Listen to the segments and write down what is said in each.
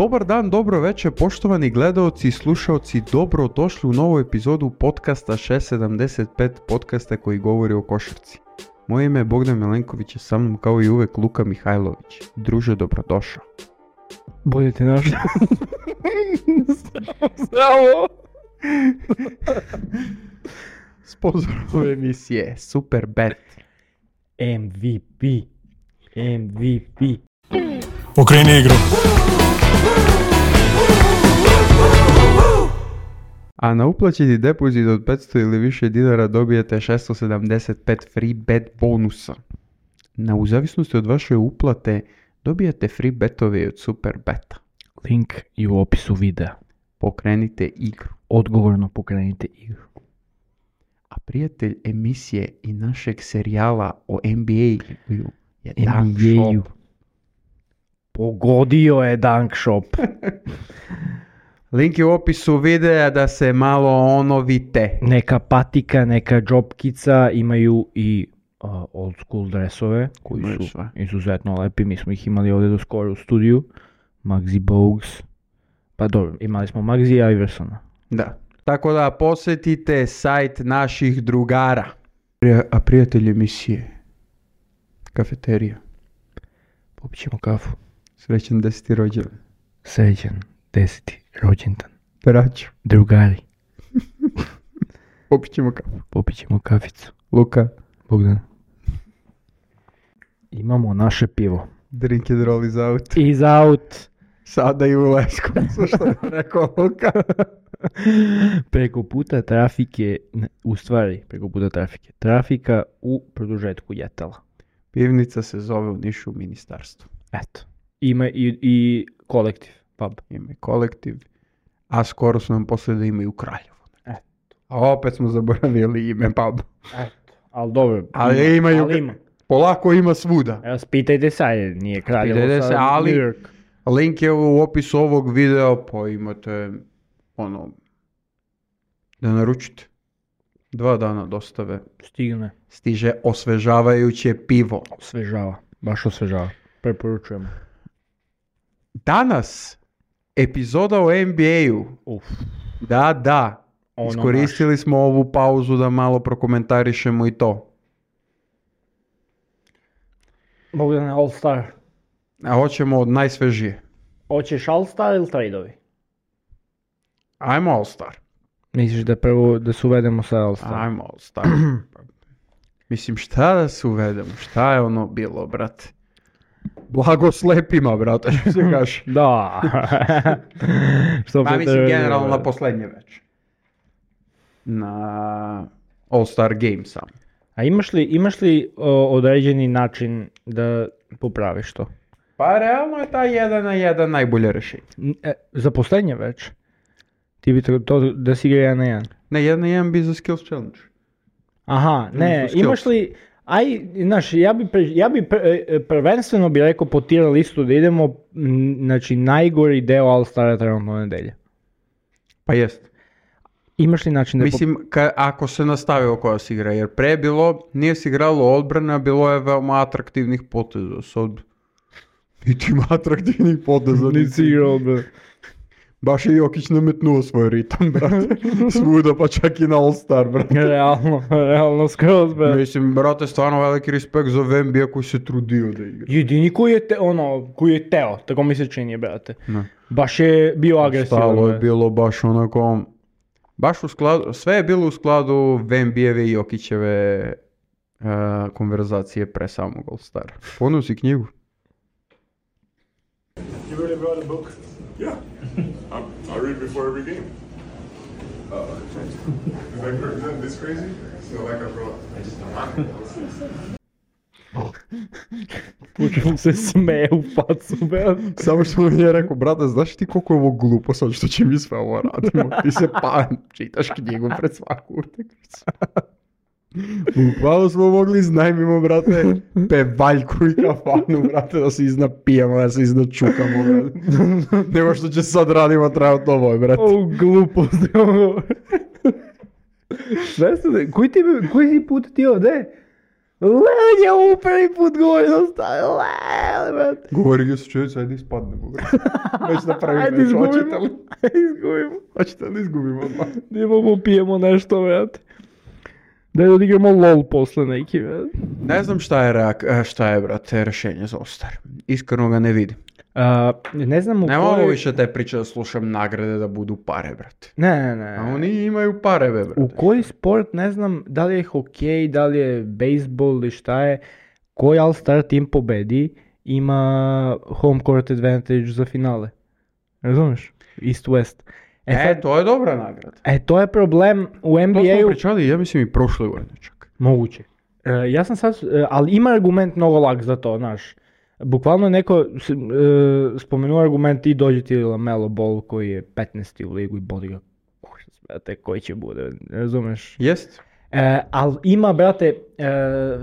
Dobar dan, dobro večer, poštovani gledaoci i slušaoci, dobro došli u novu epizodu podcasta 675, podcasta koji govori o košarci. Moje ime je Bogdan Milenković, a sa mnom kao i uvek Luka Mihajlović. Druže, dobrodošao. Bolje te našao. Zdravo! Sponzor ove emisije Superbet. MVP. Okreni igru. A na uplaćeni depozit od 500 ili više dinara dobijete 675 free bet bonusa. U zavisnosti od vaše uplate dobijate free betove od Superbeta. Link je u opisu videa. Pokrenite igru. Odgovorno pokrenite igru. A prijatelj emisije i našeg serijala o NBA-u je Dunk Shop. Pogodio je Dunk Shop. Link je u opisu videa da se malo onovite. Neka patika, neka džopkica, imaju i old school dresove koji Imaju su sve. izuzetno lepi. Mi smo ih imali ovdje do skoro u studiju. Muggsy Bogues. Pa dobro, imali smo Muggsy i Iversona. Da. Tako da posjetite sajt naših drugara. A prijatelj emisije. Kafeterija. Popit ćemo kafu. Srećan 10. rođendan. Srećan 10. rođendan. Braćo. Drugari. Popit ćemo kafu. Popit ćemo kaficu. Luka. Bogdan. Imamo naše pivo. Drink and roll is out. Is out. Sada i u Leskovcu, što je rekao Luka. Preko puta trafike, trafika u produžetku Jetala. Pivnica se zove u Nišu Ministarstvo. Eto. Ima i kolektiv, pub. Ima i kolektiv. A skoro su nam poslije da imaju Kraljevo. Eto. A opet smo zaboravili ime puba. Eto. Ali dobro. Ali imaju. Ali ima. Polako ima svuda. Evo, spitajte sad, nije Kraljevo Spitajte se, sad ali- New York. Link je u opisu ovog videa, pa imate da naručite. 2 dana dostave. Stigne. Stiže osvežavajuće pivo. Osvežava. Baš osvežava. Preporučujemo. Danas epizoda o NBA-u. Uf. Da. Ono Iskoristili smo ovu pauzu da malo prokomentarišemo i to. Bogdan, All Star. A hoćemo od najsvežije. Hoćeš All Star ili tradeovi? Ajmo All Star. Misliš da prvo da se uvedemo sa All Star? Ajmo All Star. Mislim, šta da se uvedemo? Šta je ono bilo, brate? Blago slepima, brate, što se kaže. Da. Što Pa mislim, generalno na posljednje već. Na All Star Game sam. A imaš li određeni način da popraviš to? Pa realno je ta 1 na 1 najbolje rješenje. Za posljednje već? Ti bi to da si igra 1 na 1? Ne, 1 na 1 bi za Skills Challenge. Aha, ne, Skills. imaš li... Znaš, ja bi prvenstveno bi rekao po tier listu da idemo, znači, najgori deo All Stara trenutno nedelje. Pa jest. Imaš li način da... Mislim, ako se nastavi oko koja se igra, jer pre je bilo, nije se igralo odbrana, bilo je veoma atraktivnih poteza. Sad, niti ima atraktivnih poteza. Nisi igrao, bre. Baš je Jokić nametnuo svoj ritam, brate. Svuda, pa čak i na All Star, brate. Realno skroz, bre. Mislim, brate, stvarno veliki respekt za Wembija koji se trudio da igra. Jedini koji je teo, tako mi se čini, brate. Ne. Baš je bio agresivan. Stalo je bre. bilo baš onako, baš u skladu, sve je bilo u skladu Wembijeve i Jokićeve konverzacije pre samog All Stara. Poneo si knjigu? You really brought a book? Yeah. I read before every game. Is that this crazy? It's not like I brought. I just don't Počeo se smeje u facu, bre. Samo što mi je rekao, brate, znaš ti koliko je ovo glupo sad što će mi sve ovo radimo? Ti se čitaš knjigu pred svaku utakmicu. Bukvalno smo mogli iznajmimo, brate, pevaljku i kafanu, brate, da se iznapijamo, da se iznačukamo, brate. Nemo što će sad radimo trajati ovo, brate. O, glupost. Koji si put ti ovdje? Lel je ovo prvi put govorio stavio, Lel, brate. Govori ga se čovječ, ajde ispadnemo, brate. Već na prvi Ajde meč, izgubimo. hoćete li? Izgubimo. Hoćete li izgubimo odmah? Idemo popijemo nešto, brate. Daj da odigramo LOL posle neki, brate. Ne znam šta je, brate, rješenje za All-Star. Iskreno ga ne vidim. Ne znam u Ne mogu kojoj... više te priče da slušam nagrade da budu pare, brate. Ne. A oni imaju pare, brate. U koji sport, ne znam, da li je hokej, da li je bejsbol ili šta je, koji All-Star tim pobedi, ima home court advantage za finale. Razumeš? East-West. To je dobra nagrada. To je problem u To smo NBA-u. pričali, ja mislim i prošle godine čak. Moguće. Ja sam sad, ali ima argument mnogo lak za to, znaš. Bukvalno je neko spomenuo argument i dođe ti LaMelo Ball koji je 15. u ligu i bodi ga brate, koji će bude, razumeš? Jest? Ali ima, brate,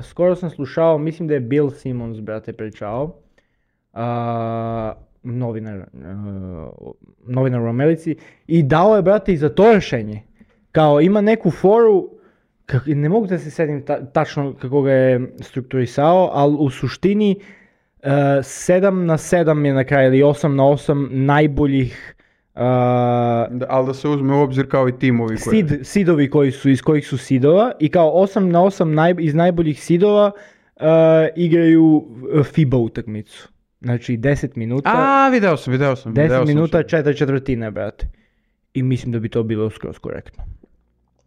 skoro sam slušao, mislim da je Bill Simmons, brate, pričao, novinar u Americi, i dao je, brate, i za to rješenje. Kao, ima neku foru, ne mogu da se sjetim tačno kako ga je strukturisao, ali u suštini 7-7 je na kraju, ili 8-8 najboljih Ali da se uzme u obzir kao i timovi koji... Sidovi koji su, iz kojih su sidova, i kao 8-8 iz najboljih sidova igraju FIBA utakmicu. Znači 10 minuta. Video sam. 10 minuta, 4/4, brate. I mislim da bi to bilo skroz korektno.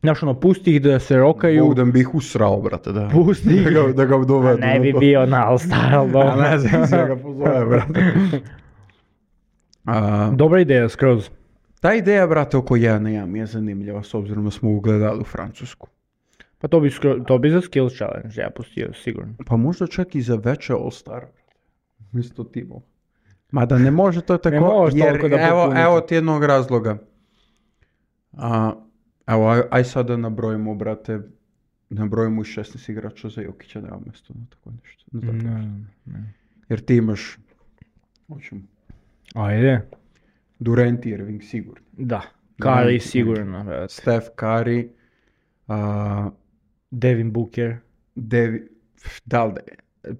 Znaš, ono, pusti ih da se rokaju. Bogdan bi ih usrao, brate, da. Pusti ih. Da ga dovedu. Ne bi bio na All-Star, ali dobro. Ne znam se ga pozove, brate. Dobra ideja, skroz. Ta ideja, brate, oko 1-1 mi je zanimljiva, s obzirom da smo ugledali u Francusku. Pa to bi za skills challenge, ja pustio, sigurno. Pa možda čak i za veće All-Star, misto timova. Mada ne može to tako, Ne može jer toliko da popunite. evo ti jednog razloga. Evo, aj sad da nabrojimo, brate, nabrojimo i 16 igrača za Jokića, nema mjesto na tako nešto. Na tako nešto. Jer ti imaš, hoćemo, Ajde. Durant i Irving sigurno. Da. Curry sigurno, brate. Steph Curry, Devin Booker.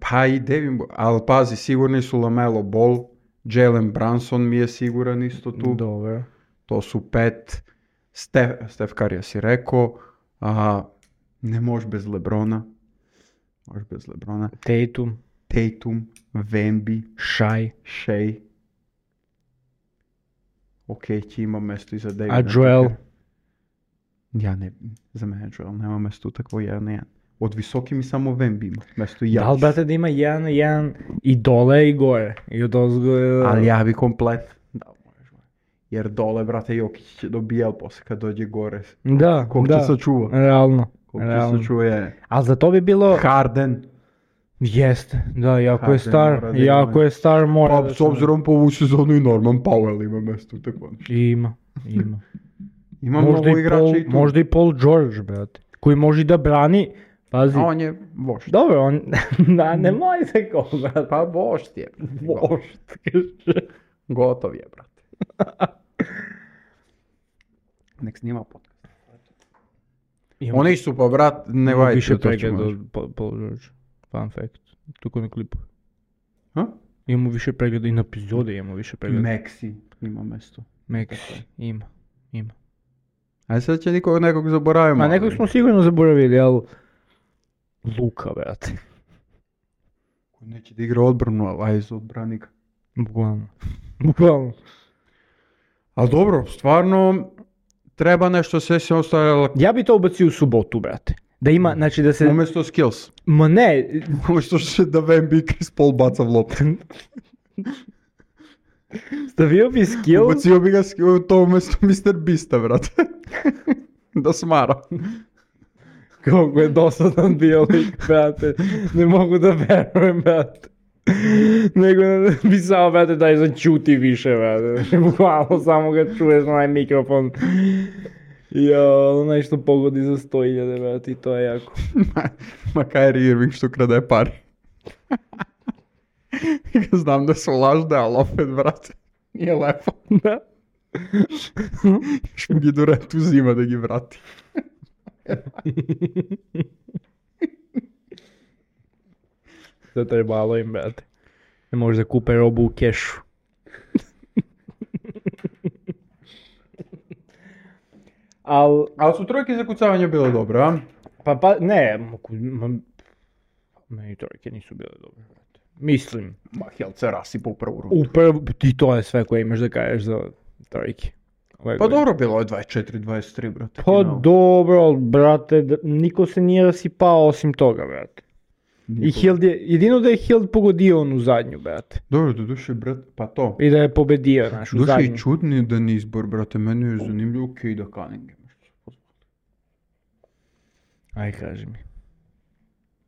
Pa i Devin Booker, ali pazi, sigurni su LaMelo Ball, Jalen Brunson mi je siguran isto tu. Dobro. To su 5. Steph Curry si rekao, ne možeš bez LeBrona. Tatum, Wemby, Shea. Ok, ti ima mjesto i za Davida. A Joel? Za mene Joel nema mjesto takvo 1-1. Od visoki mi samo Wemby ima mjesto i ja. Da li, brate, da ima 1-1 i dole i gore? I od ozgo... Ali ja bi komplet. Da, možeš. Jer dole, brate, Jokić će dobijal poslije kad dođe gore. Da, Koliko da. će sačuva? Realno. Koliko će sačuva je. Ali za to bi bilo... Harden. Jeste, da, jako Harden je star. mora da Jako ima. je star, mora Pa da s obzirom po ovu sezonu i Norman Powell ima mjesto tako nešto. Ima. Ima mnogo igrača i tu. Možda i Paul George, brate. Koji može da brani. Pazi. A on je vošt. Dobro, on... da, nemoj se ko, brate. Pa vošt je. Vošt. Gotov je, brate. Nek snima podcast. Oni su pa, brat, ne vajte. Više pregleda od Paul George. Fun fact. Tuko na klipu. Imamo više pregleda i na epizode imamo više pregleda. Maxi ima mjesto. Maxi, ima. A sad će nekog zaboravimo. A nekog smo sigurno zaboravili, ali... Luka, brate. Ko neće da igra odbranu, ali aj za odbranika. Bukvalno. Ali dobro, stvarno treba nešto sve se ostavljalo. Ja bi to ubacio u subotu, brate. Da ima, znači da se... Umjesto skills. Ma ne. Umjesto da Wemby i Chris Paul baca v loptu. Stavio bi skill. Ubacio bi ga to umjesto Mr. Beasta, brate. Da smara. Kako je dosadan bio lik, brate. Ne mogu da verujem, brate. Nego bi samo, brate, daj začuti više, brate. Bukvalno samo ga čuješ na onaj mikrofon. Nešto pogodi za 100.000, brate, i to je jako. Ma Kyrie Irving što krade pari. Znam da su lažne, ali opet, brate, nije lepo. Da. Još mu gi Durant uzima da gi vrati. Zatrebalo im, brate. Ne može da kupe robu u kešu. Ali su trojke za kucavanje bile dobre, a? Pa, ne, meni trojke nisu bile dobre, brate. Mislim. Ma, Helce rasipa u prvu rundu. Ti to je sve koje imaš da kažeš za trojke. Pa dobro, bilo je 24-23, brate. Pa dobro, brate, niko se nije rasipao osim toga, brate. I Hild jedino da je Hild pogodio onu zadnju, brate. Dobro, do duše, brate, pa to. I da je pobedio našu zadnju. Duše i čudni dan izbor, brate, meni je zanimljivo Cade Cunningham. Aj, kaži mi.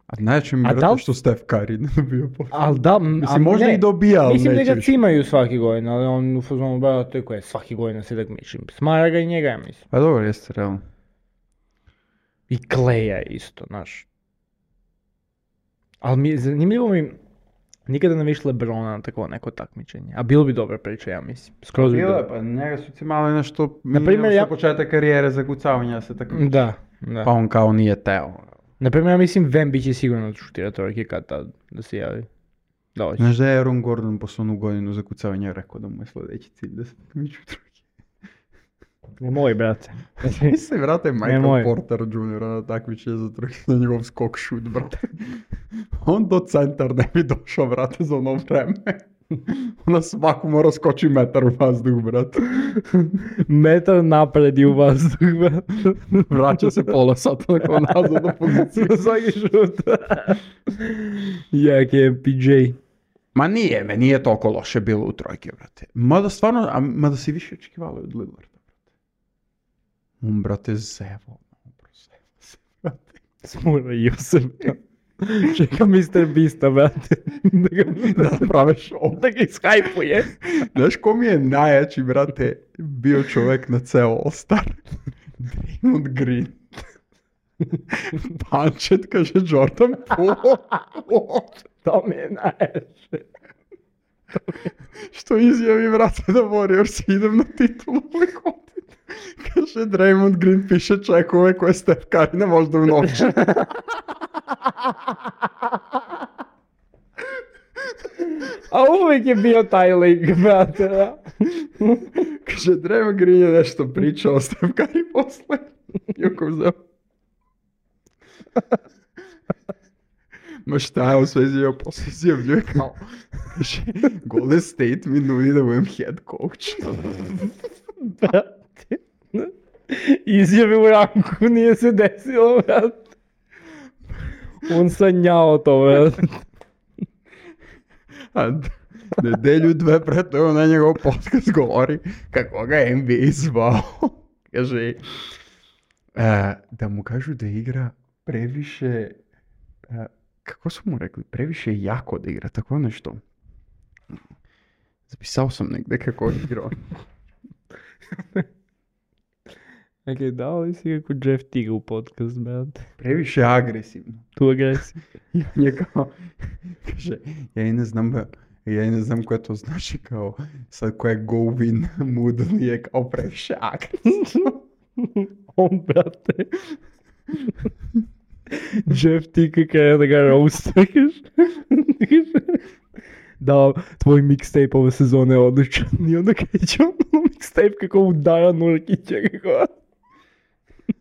A najče mi, brate, što Steph Curry ne dobio posao. Al da, mislim, možda i dobija, ali mislim neće da ga više. cimaju svaki godin, ali on u fazonu, brate, koje svaki godin se takmičim. Smara ga i njega, ja mislim. Pa dobro, jeste, realno. I Kleja isto, znaš. Ali zanimljivo mi, nikada ne viš LeBrona na tako neko takmičenje. A bilo bi dobra priča, ja mislim. Skroz bi bilo. Pa njega su cimali nešto, Naprimjer, ja početak karijere za kucavanje se takmiče. Da. Pa on kao nije teo. Naprimjer, ja mislim Wemby će sigurno šutira trojke kad tad da se javi. Da hoće. Znaš da je Aaron Gordon posle onu godinu za kucavanje rekao da mu je sljedeći cilj da se takmiču trojke. Nemoj, brate. Mislim, brate, Michael Nemoj. Porter Jr. na takmičenje za trojke na njegov skok šut, brate. On do centar ne bi došao, brate, za ono vreme. Na svaku mora skoči metar u vazduh, brate. Metar napred i u vazduh, brate. Vraća se pola sata nakon nazad do pozicije. Svaki šut. Jak je PJ. Ma nije toliko loše bilo u trojke, brate. Mada si više očekivali od Lillarda, brate. On, brate, zevo. Brate. Smurio se, brate. Čeka Mr. Beasta, brate. Da prave show. Da ga ishajpuje. Znaš ko mi je najjači, brate, bio čovjek na ceo All-Star? Draymond Green. Punčet, kaže Jordan Poole. To mi je najjače. Što izjavi, brate, da Warriors idem na titulu ovaj godin. Kaže Draymond Green piše čekove koje Steph Curry ne može da unovči. A uvijek je bio taj lik, brate, da. Kaže Draymond Green je nešto pričao o Steph Curry posle. Joko vzeo. Ma šta je u svezi joj posle izjavljuje kao. Kaže, Golden State mi nudi da budem head coach. Brate. Izjavi u ranku, nije se desilo, brate. On sanjao to, brate. A nedelju dve pre toga na njegov podcast govori kako ga je NBA zvao. Kaže, da mu kažu da igra previše, kako su mu rekli, previše jako da igra, tako nešto. Zapisao sam negdje kako je igrao. Dakle, dao li si kako Jeff Tiga u podcast, brate? Previše agresivno. Tu agresiju. I on je kao, kaže, ja i ne znam koje to znači kao, sad koje go win mood nije kao previše agresivno. On, brate. Jeff Tiga kada da ga roastaš. Da, tvoj mixtape ove sezone je odličan. I onda kreće ono mixtape kako udara Nurkića, kako.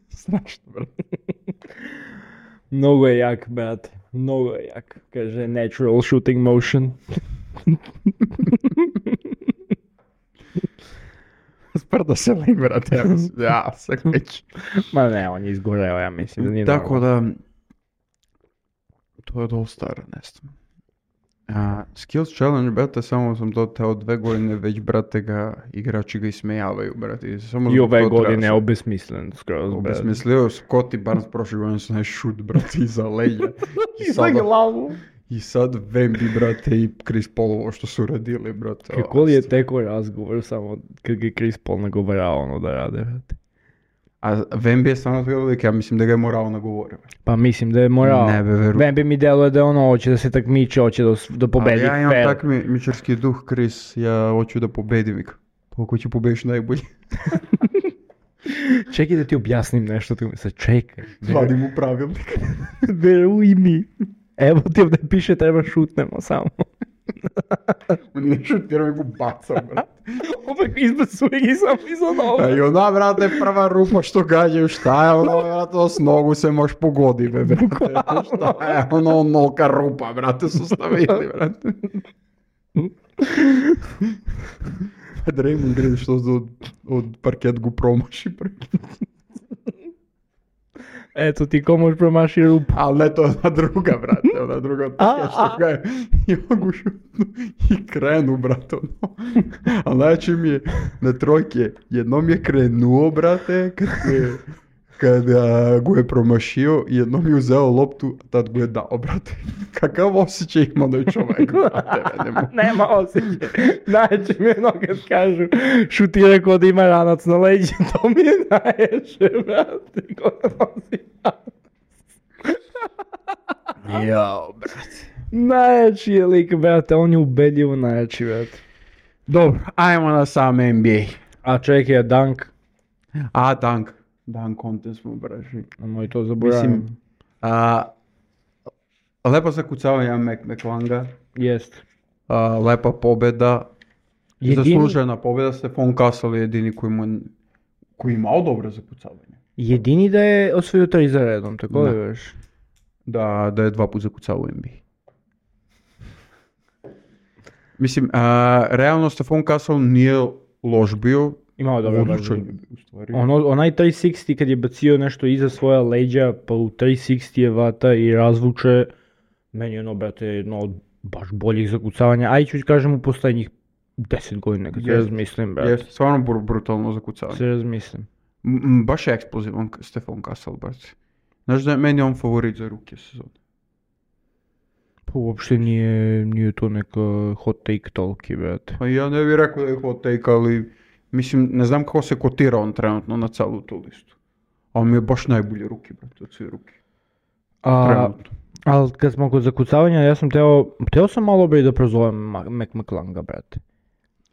Strašno, brate. Mnogo je jak, brate. Mnogo je jak. Kaže, natural shooting motion. Sprda se lik, brate, ja se kreći. Ma ne, on je izgoreo, ja mislim da nije Tako normalno. da, to je dosta staro, ne znam. Skills Challenge, brate, samo sam to teo 2 godine, već, brate, igrači ga ismejavaju, brate. Samo I zbog ove to godine je trebaš. obesmislen skroz, brate. Obesmislio, Scotty Barnes prošle godine su naj šut, brate, iza leđa. I Za glavu. I sad Wemby, brate, i Chris Paul ovo što su radili, brate. Kako li je teko razgovor samo kad ga Chris Paul nagovarao ono da rade, brate. A Wemby je stvarno bio lik, ja mislim da ga je morao nagovorio. Pa mislim da je morao. Ne, verujem. Wemby mi deluje da ono hoće da se takmiče, hoće da pobedi Ali ja imam fair. takmičarski duh, Chris, ja hoću da pobedim ih. Pa ako ću pobediš najbolji. Čekaj da ti objasnim nešto, tu mi se čekaj. Vadim u pravilnik. Veruj mi. Evo ti ovdje piše treba šutnemo samo. Oni ne šutiraju, nego bacam, brate. Opet izbacuje ih samo iza A noga. i ona, brate, prva rupa što gađaju, šta je ono, brate, s nogu se moš pogodi, be, brate. Šta je ono, onolika rupa, brate, su stavili, brate. Draymond Green što od parket go promaši pre. Eto ti ko možeš promaši rupu. Ali ne, to je ona druga, brate, ona druga od parket što ga je. I on go šutnu i krenu, brate, ono. Ali najveće mi je na trojke, jednom je krenuo, brate, kad go je promašio, jednom je uzeo loptu, a tad go je dao, brate. Kakav osjećaj ima da je čovjek, brate, ne mogu. Nema osjećaj. Najveće mi je ono kad kažu šutira ko da ima ranac na leđi, to mi je najveće, brate, ko da nosi ranac. Jao, brate. Najveći je lik, brate, on je ubedljivo najveći, brate. Dobro, ajmo na sam NBA. A čekaj, Dunk, A, Dunk contest smo braži. moj to zaboravim. Mislim, lepo zakucavanje McClanga, Jest. lepa pobjeda, Jedini, zaslužena pobjeda, Stefan Castle je jedini koji imao dobro zakucavanje. jedini da je osvojio 3 za redom, tako Da. li veš? Da je 2 put zakucao u NBA. Mislim, realno Stefan Castle nije loš bio, Imao je dobro odličan baš. je bio u stvari. Onaj 360 kad je bacio nešto iza svoja leđa, pa u 360 je vata i razvuče, meni je ono, brate, jedno od baš boljih zakucavanja, a i ću kažem u poslednjih 10 godina, kad se Jest. razmislim, brate. Jeste, stvarno brutalno zakucavanje. Se razmislim. Baš je eksplozivan Stefan Castle, brate. Znaš da je meni on favorit za ruke sezone. Pa uopšte nije to neka hot take toliki, brate. Pa ja ne bih rekao da je hot take, ali mislim, ne znam kako se kotira on trenutno na celu tu listu. Ali mi je baš najbolje ruke, brate, od sve ruke. Trenutno. Ali kad smo kod zakucavanja, ja sam teo sam malo bre da prozovem McClanga, brate.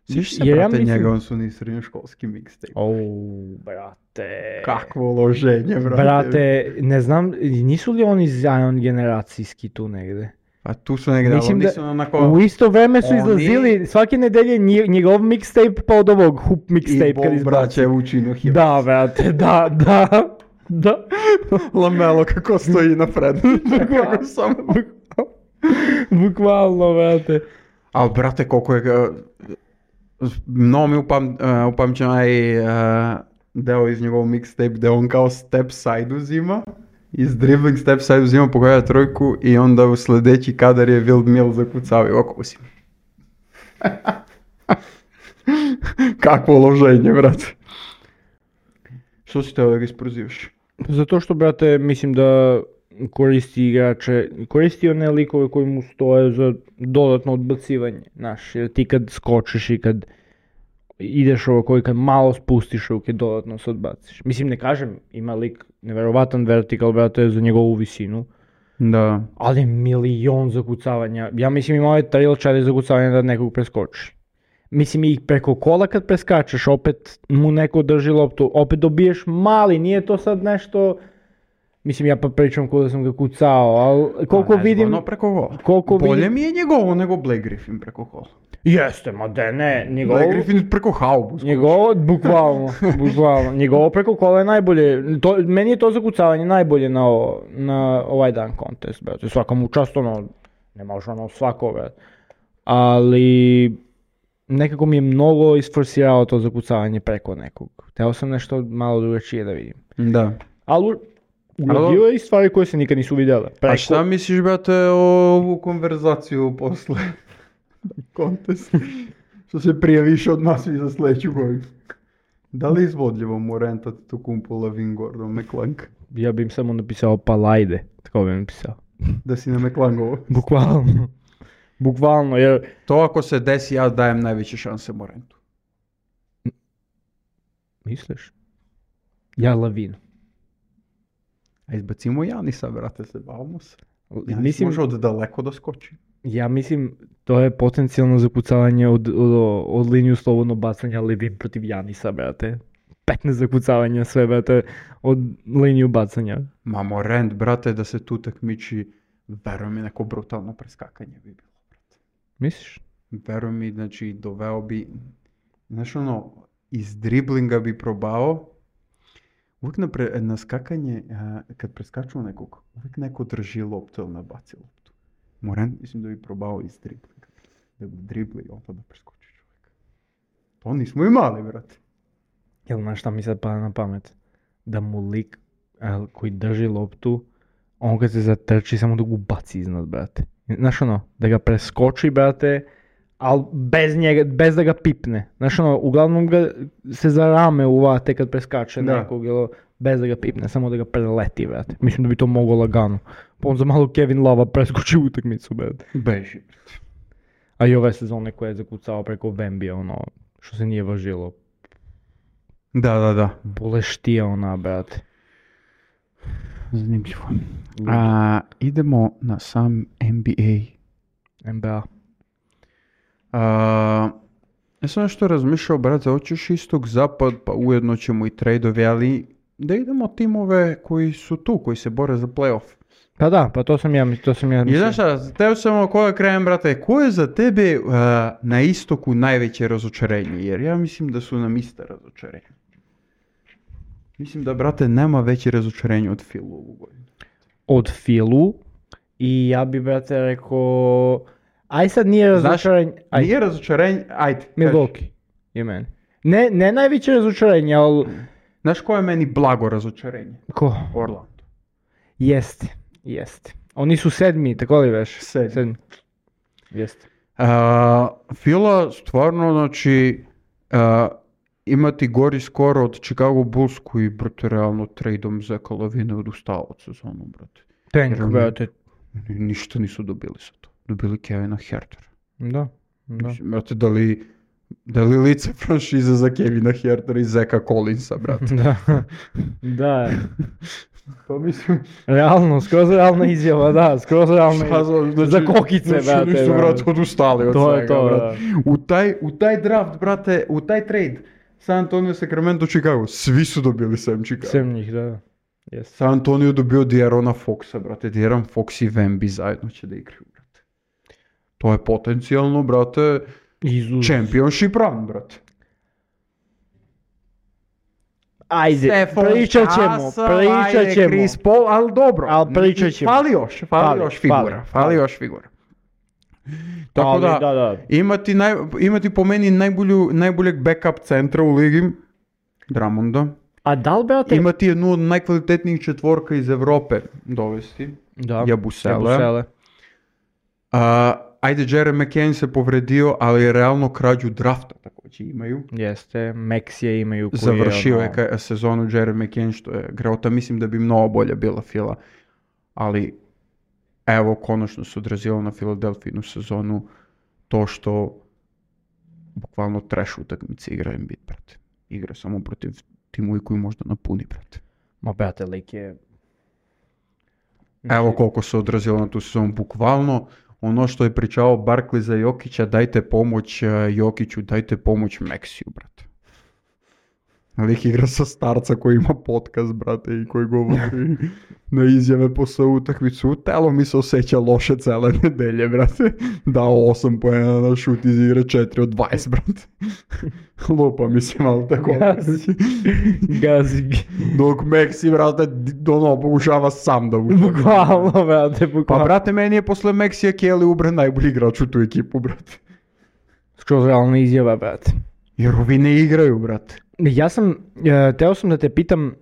Sviš se, Jer ja brate, mislim- njega, on su ni srednjoškolski mixtape. Brate. Kakvo loženje, brate. Brate, ne znam, nisu li oni Zion generacijski tu negde? A tu su negdje, ali Mislim oni da su onako... u isto vreme su oni- izlazili svake nedelje njegov mixtape pa od ovog hoop mixtape I kad Bol izbaci. braće Vučinu hip. Da, brate, da. Lamelo kako stoji napred. Kako samo... Bukvalno, brate. Ali, brate, koliko je... Mnogo mi upamćen onaj deo iz njegovog mixtape gdje on kao step side uzima. Iz dribbling step side uzima, pogoja trojku i onda u sljedeći kadar je Wild Mill zakucao i ovako uzima. Kakvo loženje, brate. Što si teo da ga isprozivaš? Zato što, brate, mislim da koristi one likove koji mu stoje za dodatno odbacivanje, znaš, jer ti kad skočiš i kad ideš ovako i kad malo spustiš ruke, dodatno se odbaciš. Mislim, ne kažem, ima lik neverovatan vertikal, brate, za njegovu visinu, Da. ali milion zakucavanja. Ja mislim imao je 3 ili 4 zakucavanja da nekog preskoči. Mislim i preko kola kad preskačeš, opet mu neko drži loptu, opet dobiješ mali, nije to sad nešto... Mislim, ja pa pričam ko da sam ga kucao, ali koliko vidim... Ono preko kola. koliko Bolje vidim- mi je njegovo nego Blake Griffin preko kola. Jeste, ma da ne, Blake Griffin preko haubu. Njegovo, bukvalno, njegovo preko kola je najbolje, meni je to zakucavanje najbolje na ovaj dan contest, brate, svaka mu čast, ono, ne možeš ono svako, brate, ali nekako mi je mnogo isforsirao to zakucavanje preko nekog, teo sam nešto malo drugačije da vidim, Da. ali uradio je i stvari koje se nikad nisu vidjele, A šta misliš, brate, o ovu konverzaciju posle kontest? Što se prijaviš od nas i za sljedeću godinu. Da li je izvodljivo mu rentati tu kumpu Lavin Gordon McClung? Ja bi im samo napisao palajde, tako bi im napisao, Da si na McClungovo. bukvalno, jer To ako se desi, ja dajem najveće šanse Morentu. misliš? Ja Lavinu. A izbacimo Janisa, brate, se bavimo se. Janis Mislim, može od daleko da skoči. ja mislim, to je potencijalno zakucavanje od liniju slobodno bacanja Levin protiv Janisa, brate. 15 zakucavanja sve, brate, od liniju bacanja. Ma Morent, brate, da se tu takmiči verujem mi neko brutalno preskakanje bi bilo. Misliš? Verujem mi, znači, doveo bi, znaš ono, iz driblinga bi probao, uvijek na skakanje, kad preskaču nekog, uvijek neko drži loptu ili nabaci loptu. Morant, mislim da bi probao iz driblinga, da bi dribli, onda da preskoči čovjek. To nismo imali, brate. Jel znaš šta mi sad pada na pamet? Da mu lik koji drži loptu, on kad se zatrči samo da ga baci iznad, brate. Znaš ono, da ga preskoči, brate, ali bez da ga pipne. Znaš ono, uglavnom ga se za rame uvate kad preskače nekog, bez da ga pipne, samo da ga preleti, brate. Mislim da bi to moglo lagano. Pa on za malo Kevin Lova preskoči utakmicu, brate. Beži, brate. A i ove sezone koje je zakucao preko Vembija, ono, što se nije važilo. Da. Boleštija ona, brate. Zanimljivo. Idemo na sam NBA. Ja sam nešto razmišljao, brate, hoćeš istog zapad, pa ujedno ćemo i trade-ovi, ali da idemo timove koji su tu, koji se bore za playoff. Pa da, pa to sam ja mislio. I znaš šta, teo sam od koga krajem, brate, ko je za tebe na istoku najveće razočarenje? Jer ja mislim da su nam ista razočarenja. Mislim da, brate, nema veće razočarenje od Philu ovu godinu. Od Philu i ja bi, brate, rekao... Aj sad nije razočarenje... Nije razočarenje, ajde. Milwaukee je meni. Ne najveće razočarenje, ali... Znaš ko je meni blago razočarenje? Ko? Orlando. Jeste. Oni su 7, tako li veš? 7. Jeste. Phila stvarno, znači... imati gori skor od Chicago Bulls koji, brate, realno tradeom Zeka Lavine odustao od sezonu, brate. Tank, brate. Ništa nisu dobili sa to. Dobili Kevina Hertera. Da. Mislim, brate, da li lice franšize za Kevina Hertera i Zeka Collinsa, brate? Da. Pa mislim... Realno, skroz realna izjava, da, skroz realna izjava. Za kokice, brate. Nisu, brate, odustali od to svega, je to, brate. U taj draft, brate, u taj trade, San Antonio, Sacramento, Chicago, svi su dobili sem Chicago. Sem njih, da. Yes. San Antonio dobio De'Aarona Foxa, brate. De'Aaron Fox i Wemby zajedno će da igraju, brate. To je potencijalno, brate, championship run, brate. Ajde, pričat ćemo. Chris Paul, ali dobro. Ali pričat ćemo. Fali još figura. Tako da. Imati po meni najboljeg backup centra u ligi, Drummonda. A da li, brate? Imati jednu od najkvalitetnijih četvorka iz Evrope dovesti. Da. Jabusele. Ajde, Jeremy McCain se povredio, ali realno krađu drafta također imaju. Jeste, Maxije imaju. Završio je sezonu Jeremy McCain, što je greota. Mislim da bi mnogo bolja bila Phila. Ali, evo, konačno se odrazilo na Philadelphijinu sezonu to što bukvalno trash utakmice igra Embiid, brate. Igra samo protiv timovi koji možda napuni, brate. Ma, brate, lik je... Evo koliko se odrazilo na tu sezonu, bukvalno. Ono što je pričao Barkley za Jokića, dajte pomoć Jokiću, dajte pomoć Maxiju, brate. Lik igra sa starca koji ima podcast, brate, i koji govori na izjave posle utakmicu. Telo mi se osjeća loše cele nedelje, brate. Dao 8 poena na šut iz igre, 4 od 20, brate. Lupa mi se malo tako. Gazi. Dok Maxi, brate, pokušava sam da uđe. Bukvalno, brate, Pa, brate, meni je posle Maxija Kelly Oubre najbolji igrač u tu ekipu, brate. Skroz realna izjava, brate. Jer ovi ne igraju, brate. Teo sam da te pitam,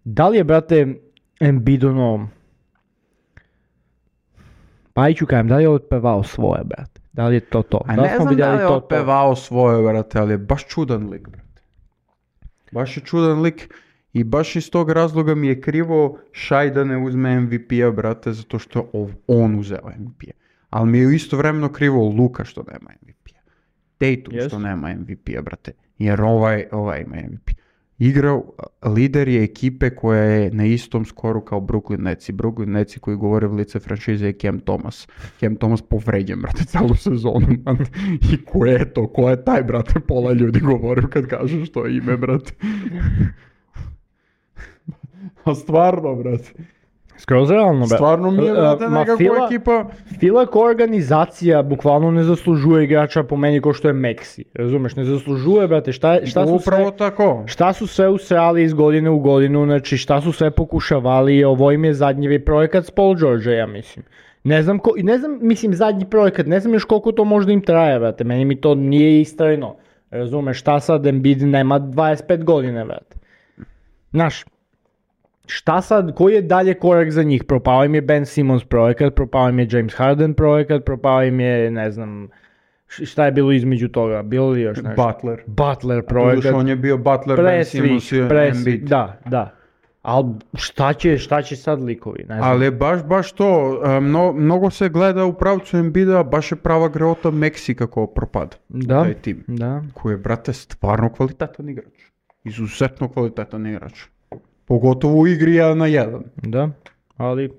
da li je, brate, Embiid ono, pa ću kajem, da li je otpevao svoje, brate? Da li je to to? A ne znam da li je otpevao svoje, brate, ali je baš čudan lik, brate. Baš je čudan lik i baš iz tog razloga mi je krivo Shai da ne uzme MVP-a, brate, zato što on uzeo MVP-a. Ali mi je istovremeno krivo Luka što nema MVP-a. Tatum što nema MVP-a, brate. Jer ovaj ima MVP. Igrao, lider je ekipe koja je na istom skoru kao Brooklyn Netsi. Brooklyn Netsi koji govore v lice franšize je Cam Thomas. Cam Thomas povređen, brate, celu sezonu. I ko je to? Ko je taj, brate? Pola ljudi govore kad kažu što je ime, brate. A stvarno, brate. Skroz realno, brate. Stvarno mi je, brate, Ma nekakva ekipa... Fila kao organizacija bukvalno ne zaslužuje igrača po meni ko što je Meksi. Razumeš, ne zaslužuje, brate, šta su Upravo sve... tako. Šta su sve usrali iz godine u godinu, znači šta su sve pokušavali, ovo im je zadnji projekat s Paul George, ja mislim. Ne znam, mislim zadnji projekat, ne znam još koliko to možda im traje, brate, meni mi to nije istrajno. Razumeš, šta sad Embiid nema 25 godine, brate. Znaš, šta sad, koji je dalje korak za njih? Propao im je Ben Simmons projekat, propao im je James Harden projekat, propao im je, ne znam, šta je bilo između toga? Bilo li još nešto? Butler projekat. On je bio Butler, Ben Simmons i Embiid. Da. Ali šta će sad likovi? Ne znam. Ali baš to, mnogo se gleda u pravcu Embida, baš je prava greota Meksi kako propada. Da, taj tim. Da. Koji je, brate, stvarno kvalitetan igrač. Izuzetno kvalitetan igrač. Pogotovo u igri 1 na 1. Da, ali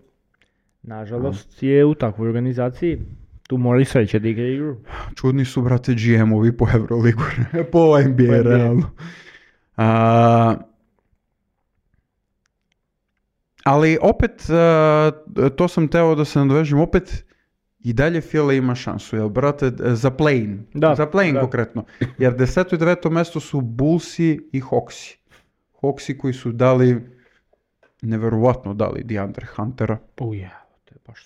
nažalost je u takvoj organizaciji. Tu mora i sreće da igra igru. Čudni su, brate, GM-ovi po Euroligu, po NBA, realno. Ali opet, to sam teo da se nadovežem, opet i dalje Fila ima šansu, jel, brate, za play-in. Za play-in konkretno. Jer 10. i 9. mesto su Bullsi i Hawksi. Hawksi koji su neverovatno dali DeAndre Huntera.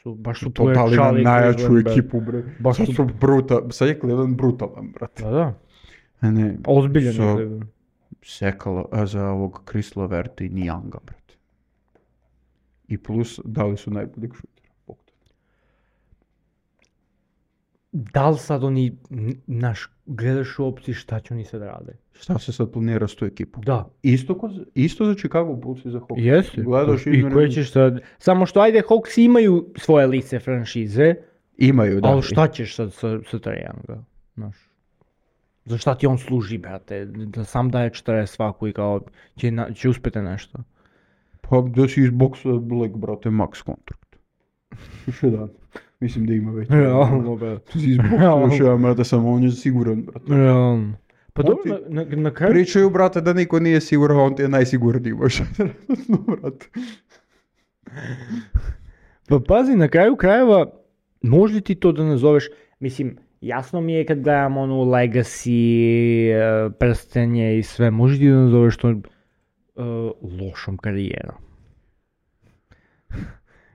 Baš su to dali na najjaču ekipu, bre. Baš su sad je Cleveland brutalan, brate. Da. Ne, ozbiljan je Cleveland. Sekalo za ovog Chris Leverta i Nijanga, brate. I plus dali su najboljeg šutera. Da li sad oni, gledaš u opciji šta će oni sad rade? Šta se sad planira s tu ekipu? Da. Isto za Chicago Bulls i za Hawks. Jeste. Gledaš i koje ćeš sad... Samo što ajde, Hawks imaju svoje lice franšize. Imaju, da. Ali šta ćeš sad sa Trajanga? Za šta ti on služi, brate? Da sam daje 40 svaku i kao će uspjeti nešto. Pa da si izboksa Black, brate, max kontrakt. Još jedan. Mislim da ima već. Realno, brate. Si izboksa još jedan, brate, samo on je siguran, brate. Realno. Pa dobro, na kraju... Pričaju, brate, da niko nije siguran, on ti je najsigurniji, baš. Brate. Pa pazi, na kraju krajeva, možda ti to da nazoveš, mislim, jasno mi je kad gledam onu Legacy, prstenje i sve, možda ti da nazoveš to lošom karijerom.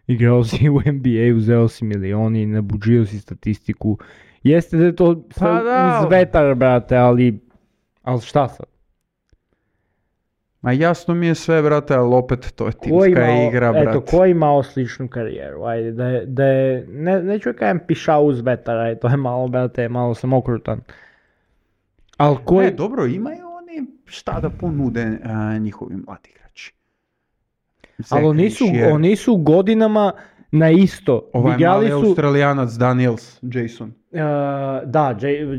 Igrao si u NBA, uzeo si milioni, nabuđio si statistiku. Jeste da je to sve uz vetar, brate, ali šta sad? Ma jasno mi je sve, brate, ali opet to je timska igra, brate. Eto, ko je imao sličnu karijeru? Ajde, da je neću kajem pišao uz vetar, to je malo, brate, malo sam okrutan. Ali Ne, dobro, imaju oni šta da ponude njihovi mladi igrači. Ali oni su godinama na isto. Ovaj mali Australijanac Daniels, Jason.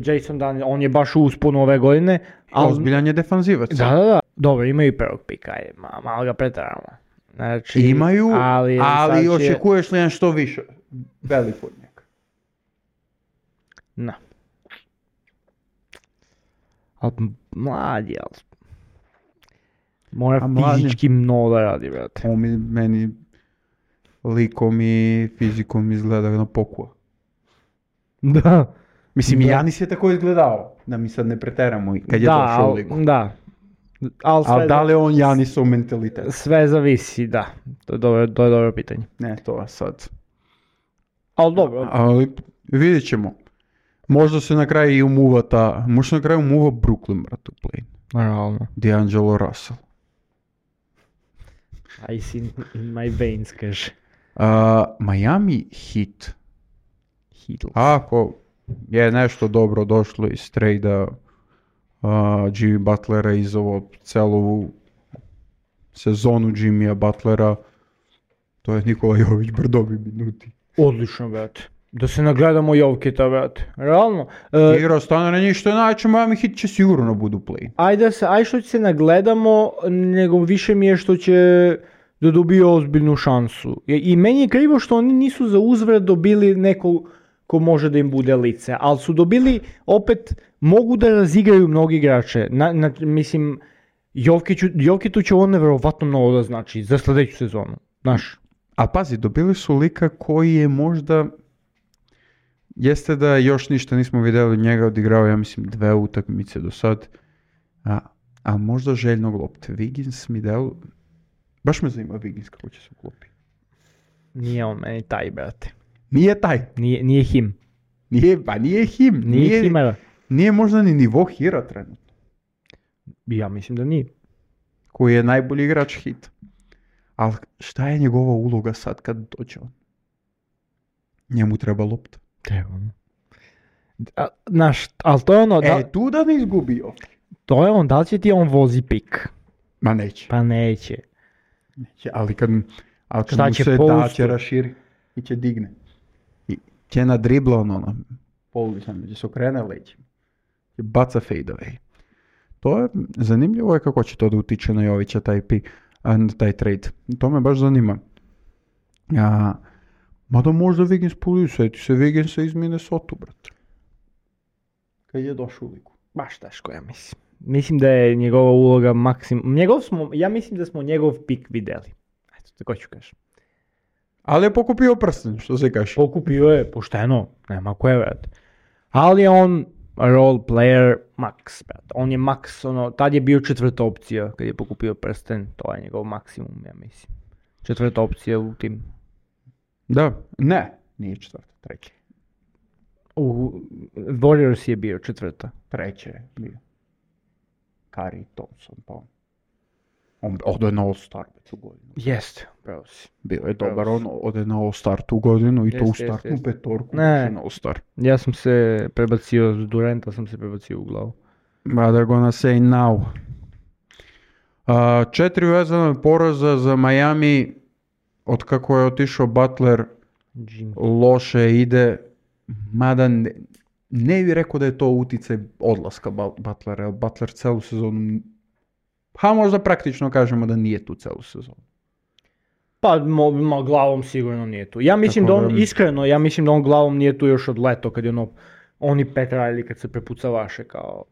Jason Daniels, on je baš u usponu ove godine. Ozbiljan je defanzivac. Da. Dobro, imaju i prvog pika, malo ga pretaramo. Znači, imaju, ali očekuješ li nešto više? Veliko od njega. Na. Ali mladi, mora fizički mnogo da radi, brate. On meni likom i fizikom izgleda na pokua. Da. Mislim, i Janis je tako izgledao, da mi sad ne preteramo kad je došao u ligu. Da. Ali da li on Janisov mentalitet? Sve zavisi, da. To je dobro pitanje. Ne, to sad. Ali dobro. Ali vidjet ćemo. Možda se na kraju i umuva možda na kraju umuva Brooklyn, brate, u play. Realno. D'Angelo Russell. Ice in my veins, kaže. Miami Heat. Ako je nešto dobro došlo iz trejda Jimmy Butlera iz ovo celu sezonu Jimmya Butlera, to je Nikola Jović brdovi minuti. Odlično, brate. Da se nagledamo Jovketa, brate. Realno. Igra stane na njih što je najče, Miami Heat će sigurno budu play. Ajde što će se nagledamo, nego više mi je što će da dobije ozbiljnu šansu. I meni je krivo što oni nisu za uzvrat dobili nekog ko može da im bude lice, ali su dobili, opet, mogu da razigraju mnogi igrače. Mislim, Jovketu će ovo nevjerovatno mnogo da znači za sljedeću sezonu. Znaš. A pazi, dobili su lika koji je možda, jeste da još ništa nismo vidjeli njega, odigrao, ja mislim, 2 utakmice do sad, a možda željnog lopte. Wiggins mi dao, baš me zanima Wiggins kako će se uklopi. Nije on meni taj, brate. Nije taj. Nije him. Nije him. Nije himera. Nije možda ni nivo Hira trenutno. Ja mislim da nije. Koji je najbolji igrač Hita. Ali šta je njegova uloga sad kad dođe on? Njemu treba lopta. Treba. Ali to je ono... Tu da ne izgubio. To je on, da li će ti on vozi pik? Ma neće. Pa neće. Ali kad mu će se postu? da će raširi i će digne. I će na dribla ono pouličan, gdje se okrene leđima. I baca fade away. To je zanimljivo je kako će to da utiče na Jovića taj taj trade. To me baš zanima. Mada možda Wiggins puliju, sjeti se Wigginsa iz Minnesota, brate. Kad je došao u ligu. Baš teško, ja mislim. Mislim da je njegova uloga maksimum... Ja mislim da smo njegov pik vidjeli. Eto, tako ću kažem. Ali je pokupio prsten, što se kaže. Pokupio je, pošteno, nema koje vrat. Ali je on role player max, brat. On je max, tad je bio 4. opcija kad je pokupio prsten, to je njegov maksimum, ja mislim. 4. opcija u tim. Da, nije 4, 3. U Warriors je bio 4. 3 je bio. Curry, Thompson, pa on ode na All-Star tu godinu. Jeste, pravo si. Bio je dobar, on ode na All-Star tu godinu i to u startnu petorku na All-Star. Ja sam se prebacio s Duranta, sam se prebacio u glavu. But they're gonna say now. 4 vezane poraza za Miami, od kako je otišao Butler, loše ide, mada ne bih rekao da je to uticaj odlaska Butlera. Butler celu sezonu, možda praktično kažemo da nije tu celu sezonu. Pa glavom sigurno nije tu. Ja mislim da on, iskreno, on glavom nije tu još od leto, kad je oni Petra ili kad se prepucavaše kao,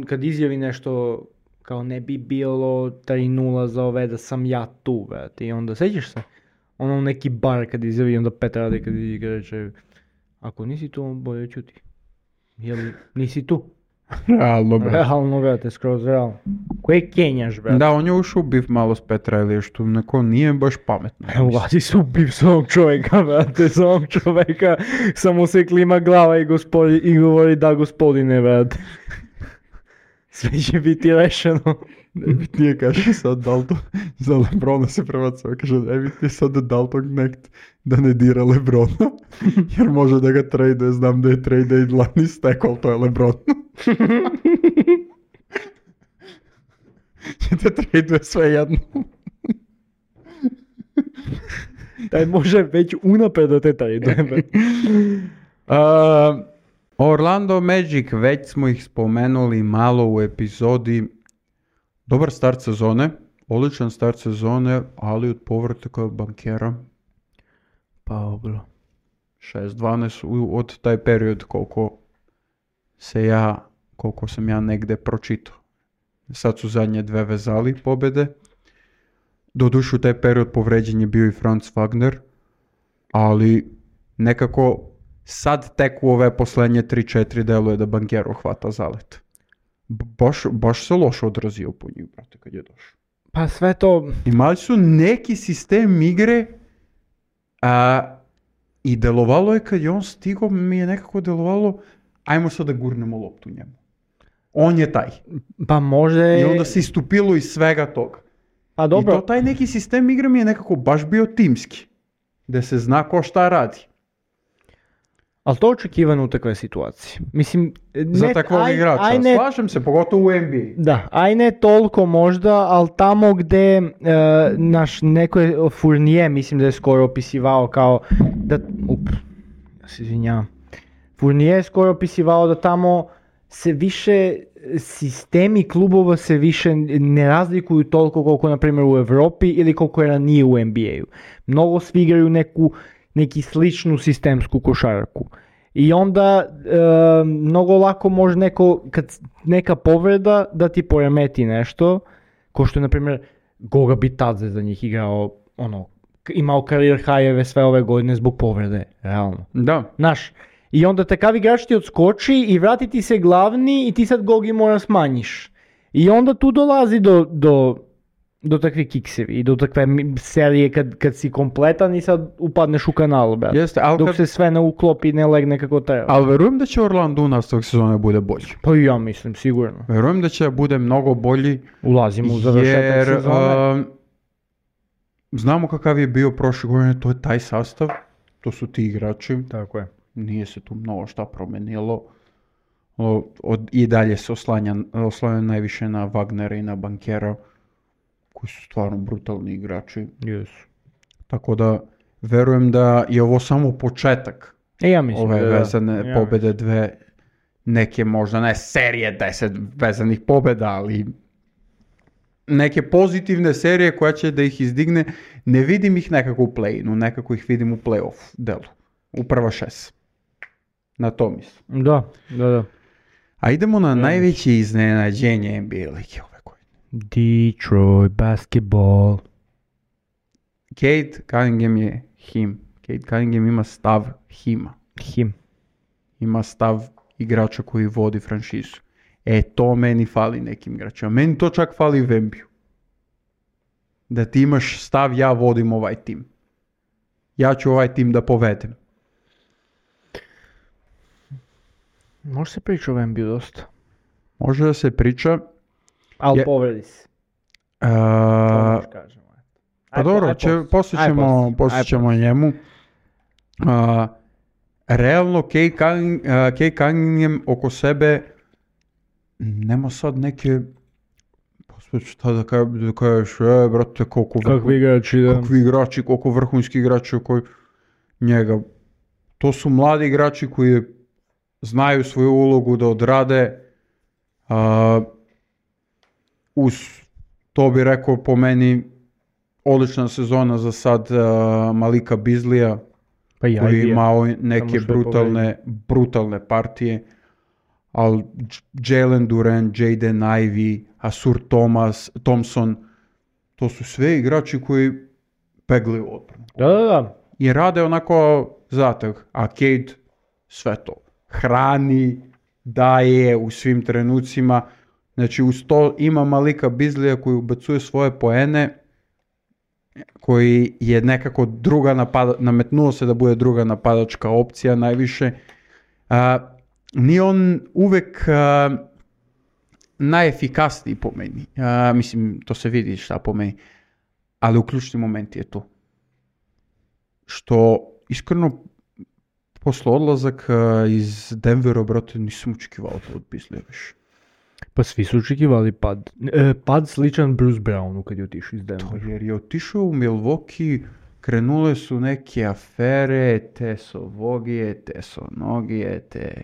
kad izjavi nešto kao ne bi bilo 3-0 za ove da sam ja tu, brate. I onda sećaš se, neki bar kad izjavi, onda Petra ali kad igra reče, ako nisi tu, bolje čuti. Jel nisi tu? Realno, brate, skroz realno. Koje kenjaš, brate? Da, on je ušao u bif malo s Petra ili što neko nije baš pametno. Ulazi se u bif s ovog čovjeka, brate, s ovog čovjeka. Samo se klima glava i govori da gospodine, brate. Sve će biti rešeno. Nije kaže sad Dalton, za Lebrona se prebacuje, kaže ne biti sad Dalton nekt da ne dira Lebrona, jer može da ga traduje, znam da je trade i dlani stek, ali to je Lebron. Ćete traduje sve jedno. Taj može već unapred da te traduje. Orlando Magic, već smo ih spomenuli malo u epizodi. Dobar start sezone, odličan start sezone, ali od povratka bankera. Pa obro. 6-12 od taj period koliko sam ja negde pročitao. Sad su zadnje 2 vezali pobjede. Doduše u taj period povređen je bio i Franz Wagner, ali nekako sad tek u ove posljednje 3-4 deluje da bankero hvata zalet. Baš se loše odrazio po njih, brate, kad je došao. Pa sve to... Imali su neki sistem igre i delovalo je kad je on stigao, mi je nekako delovalo, ajmo sad da gurnemo loptu njemu. On je taj. Pa može... I onda se istupilo iz svega toga. Pa dobro. I to taj neki sistem igre mi je nekako baš bio timski. Da se zna ko šta radi. Ali to je očekivano u takve situacije. Mislim, za takvog igrača, slažem se, pogotovo u NBA. Da, aj ne toliko možda, ali tamo gde neko je Fournier, mislim da je skoro opisivao kao da... ja se izvinjavam. Fournier je skoro opisivao da tamo se više sistemi klubova se više ne razlikuju toliko koliko na primjer u Evropi ili koliko je ranije u NBA-u. Mnogo svi igraju neki sličnu sistemsku košarku. I onda mnogo lako može kad neka povreda da ti poremeti nešto, ko što je na primjer Goga Bitadze za njih igrao imao karir hajeve sve ove godine zbog povrede, realno. Da. Znaš, i onda takav igrač ti odskoči i vrati ti se glavni i ti sad gogi mora smanjiš. I onda tu dolazi do takve kiksevi i do takve serije kad si kompletan i sad upadneš u kanal, brate. Jeste, ali dok se sve ne uklopi i ne legne kako treba. Ali verujem da će Orlando u nastavak sezone bude bolji. Pa i ja mislim, sigurno. Verujem da će bude mnogo bolji. Ulazimo u završetak sezone. Znamo kakav je bio prošle godine, to je taj sastav, to su ti igrači. Tako je. Nije se tu mnogo šta promenilo. I dalje se oslanja najviše na Wagnera i na Bankera, koji su stvarno brutalni igrači. Yes. Tako da verujem da je ovo samo početak Ja mislim ove vezane pobjede, dve neke možda ne serije 10 vezanih pobjeda, ali neke pozitivne serije koja će da ih izdigne. Ne vidim ih nekako u play-inu, nekako ih vidim u play-off delu, u prva 6. Na to mislim. Da. A idemo na najveće iznenađenje NBA lige ove godine. Detroit basketball. Cade Cunningham je him. Cade Cunningham ima stav hima. Ima stav igrača koji vodi franšizu. To meni fali nekim igračima. Meni to čak fali u Vembiju. Da ti imaš stav, ja vodim ovaj tim. Ja ću ovaj tim da povedem. Može se priča o Vembiju dosta. Može da se priča. Ali povredi se. Pa dobro, poslije ćemo njemu. Realno, Cade Cunningham oko sebe nema sad neke, šta da kažeš, brate, kakvi igrači, koliko vrhunski igrači oko njega. To su mladi igrači koji znaju svoju ulogu da odrade. Uz to bi rekao po meni odlična sezona za sad Malika Beasley-a, koji je imao neke brutalne partije, ali Jalen Duren, Jaden Ivey, Asur Thompson, to su sve igrači koji peglaju odbranu. Da. I rade onako zatak, a Cade sve to hrani, daje u svim trenucima. Znači uz to ima Malika Beasley-a koji ubacuje svoje poene, koji je nekako nametnuo se da bude druga napadačka opcija najviše. Nije on uvek najefikasniji po meni. Mislim, to se vidi šta po meni. Ali u ključni moment je to. Što iskreno posle odlazak iz Denvera, brate, nisam očekivao to od Beasley više. Pa svi su očekivali pad. Pad sličan Bruce Brownu kad je otišao iz Denvera. To jer je otišao u Milwaukee, krenule su neke afere, te sovogije, te sonogije, te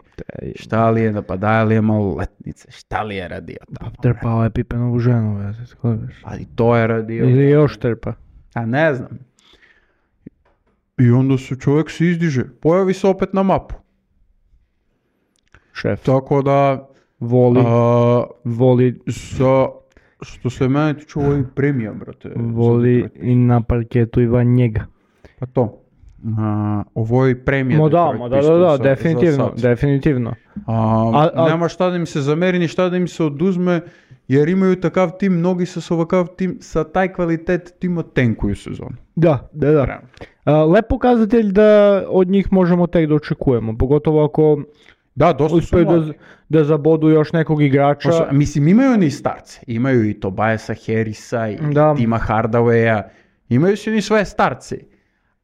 šta li je napadaj li je maloletnice, šta li je radio tamo. Trpao je Pipenovu ženu, ali to je radio. Ili još trpa. A ne znam. I onda se čovjek se izdiže, pojavi se opet na mapu. Šef. Tako da voli što se mene tiče ovo je premija, brate. Voli i na parketu i van njega. Pa to. Ovo je premija. Da, definitivno. Nema šta da im se zameri, ni šta da im se oduzme, jer imaju takav tim, mnogi sa ovakav tim, sa taj kvalitet tima tenkuju sezonu. Da. Lep pokazatelj da od njih možemo tek da očekujemo, pogotovo ako uspiju da zabodu još nekog igrača. Mislim, imaju oni starce, imaju i Tobiasa Harrisa i Tima Hardawaya, imaju se ni svoje starce,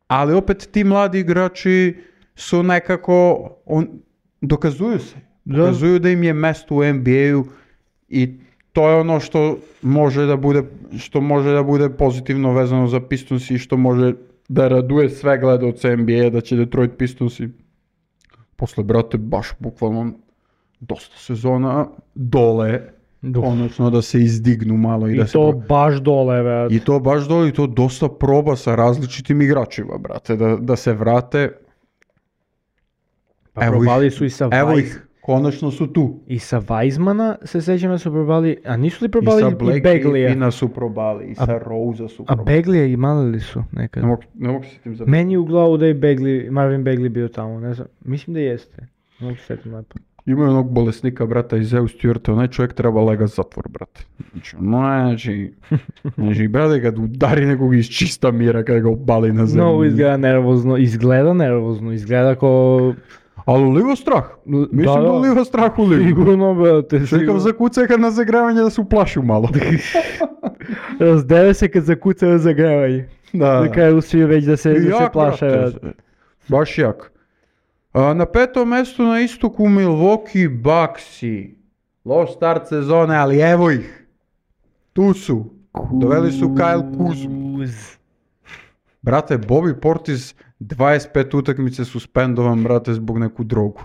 ali opet ti mladi igrači su nekako, dokazuju se, dokazuju da im je mesto u NBA-u i to je ono što može da bude pozitivno vezano za Pistonsi i što može da raduje sve gledaoce NBA, da će Detroit Pistonsi posle, brate, baš bukvalno dosta sezona dole, konačno da se izdignu malo. I to baš dole, brate. I to baš dole, i to dosta proba sa različitim igračima, brate, da se vrate. Pa probali su i sa Vice. Konačno su tu. I sa Weizmana se sećam da su probali, a nisu li I probali sa i Black Beglija? Griffina su probali, i sa Rosea su A probali. Beglija imali li su nekad? Ne mogu se tim za... Meni je u glavu da je Marvin Bagley bio tamo, ne znam, mislim da jeste. Ne mogu se setim lepo. Imaju onog bolesnika, brata, iz Zeus Stewarta, onaj čovjek treba lega zatvor, brate. Znači, brate, kad udari nekog iz čista mira, kad ga obali na zemlju. Mnogo izgleda nervozno, izgleda ko... Ali uliva strah. Mislim da uliva strah u ligu. Sigurno, brate, Čekam zakuca kad na zagravanje da se uplašu malo. Razdeve se kad zakuca na zagravanje. Na kraju svi već da se plaše. Baš jak. Na petom mjestu na istoku Milwaukee Bucksi. Loš start sezone, ali evo ih. Tu su. Doveli su Kyle Kuzmu. Brate, Bobby Portis 25 utakmice suspendovan, brate, zbog neku drogu.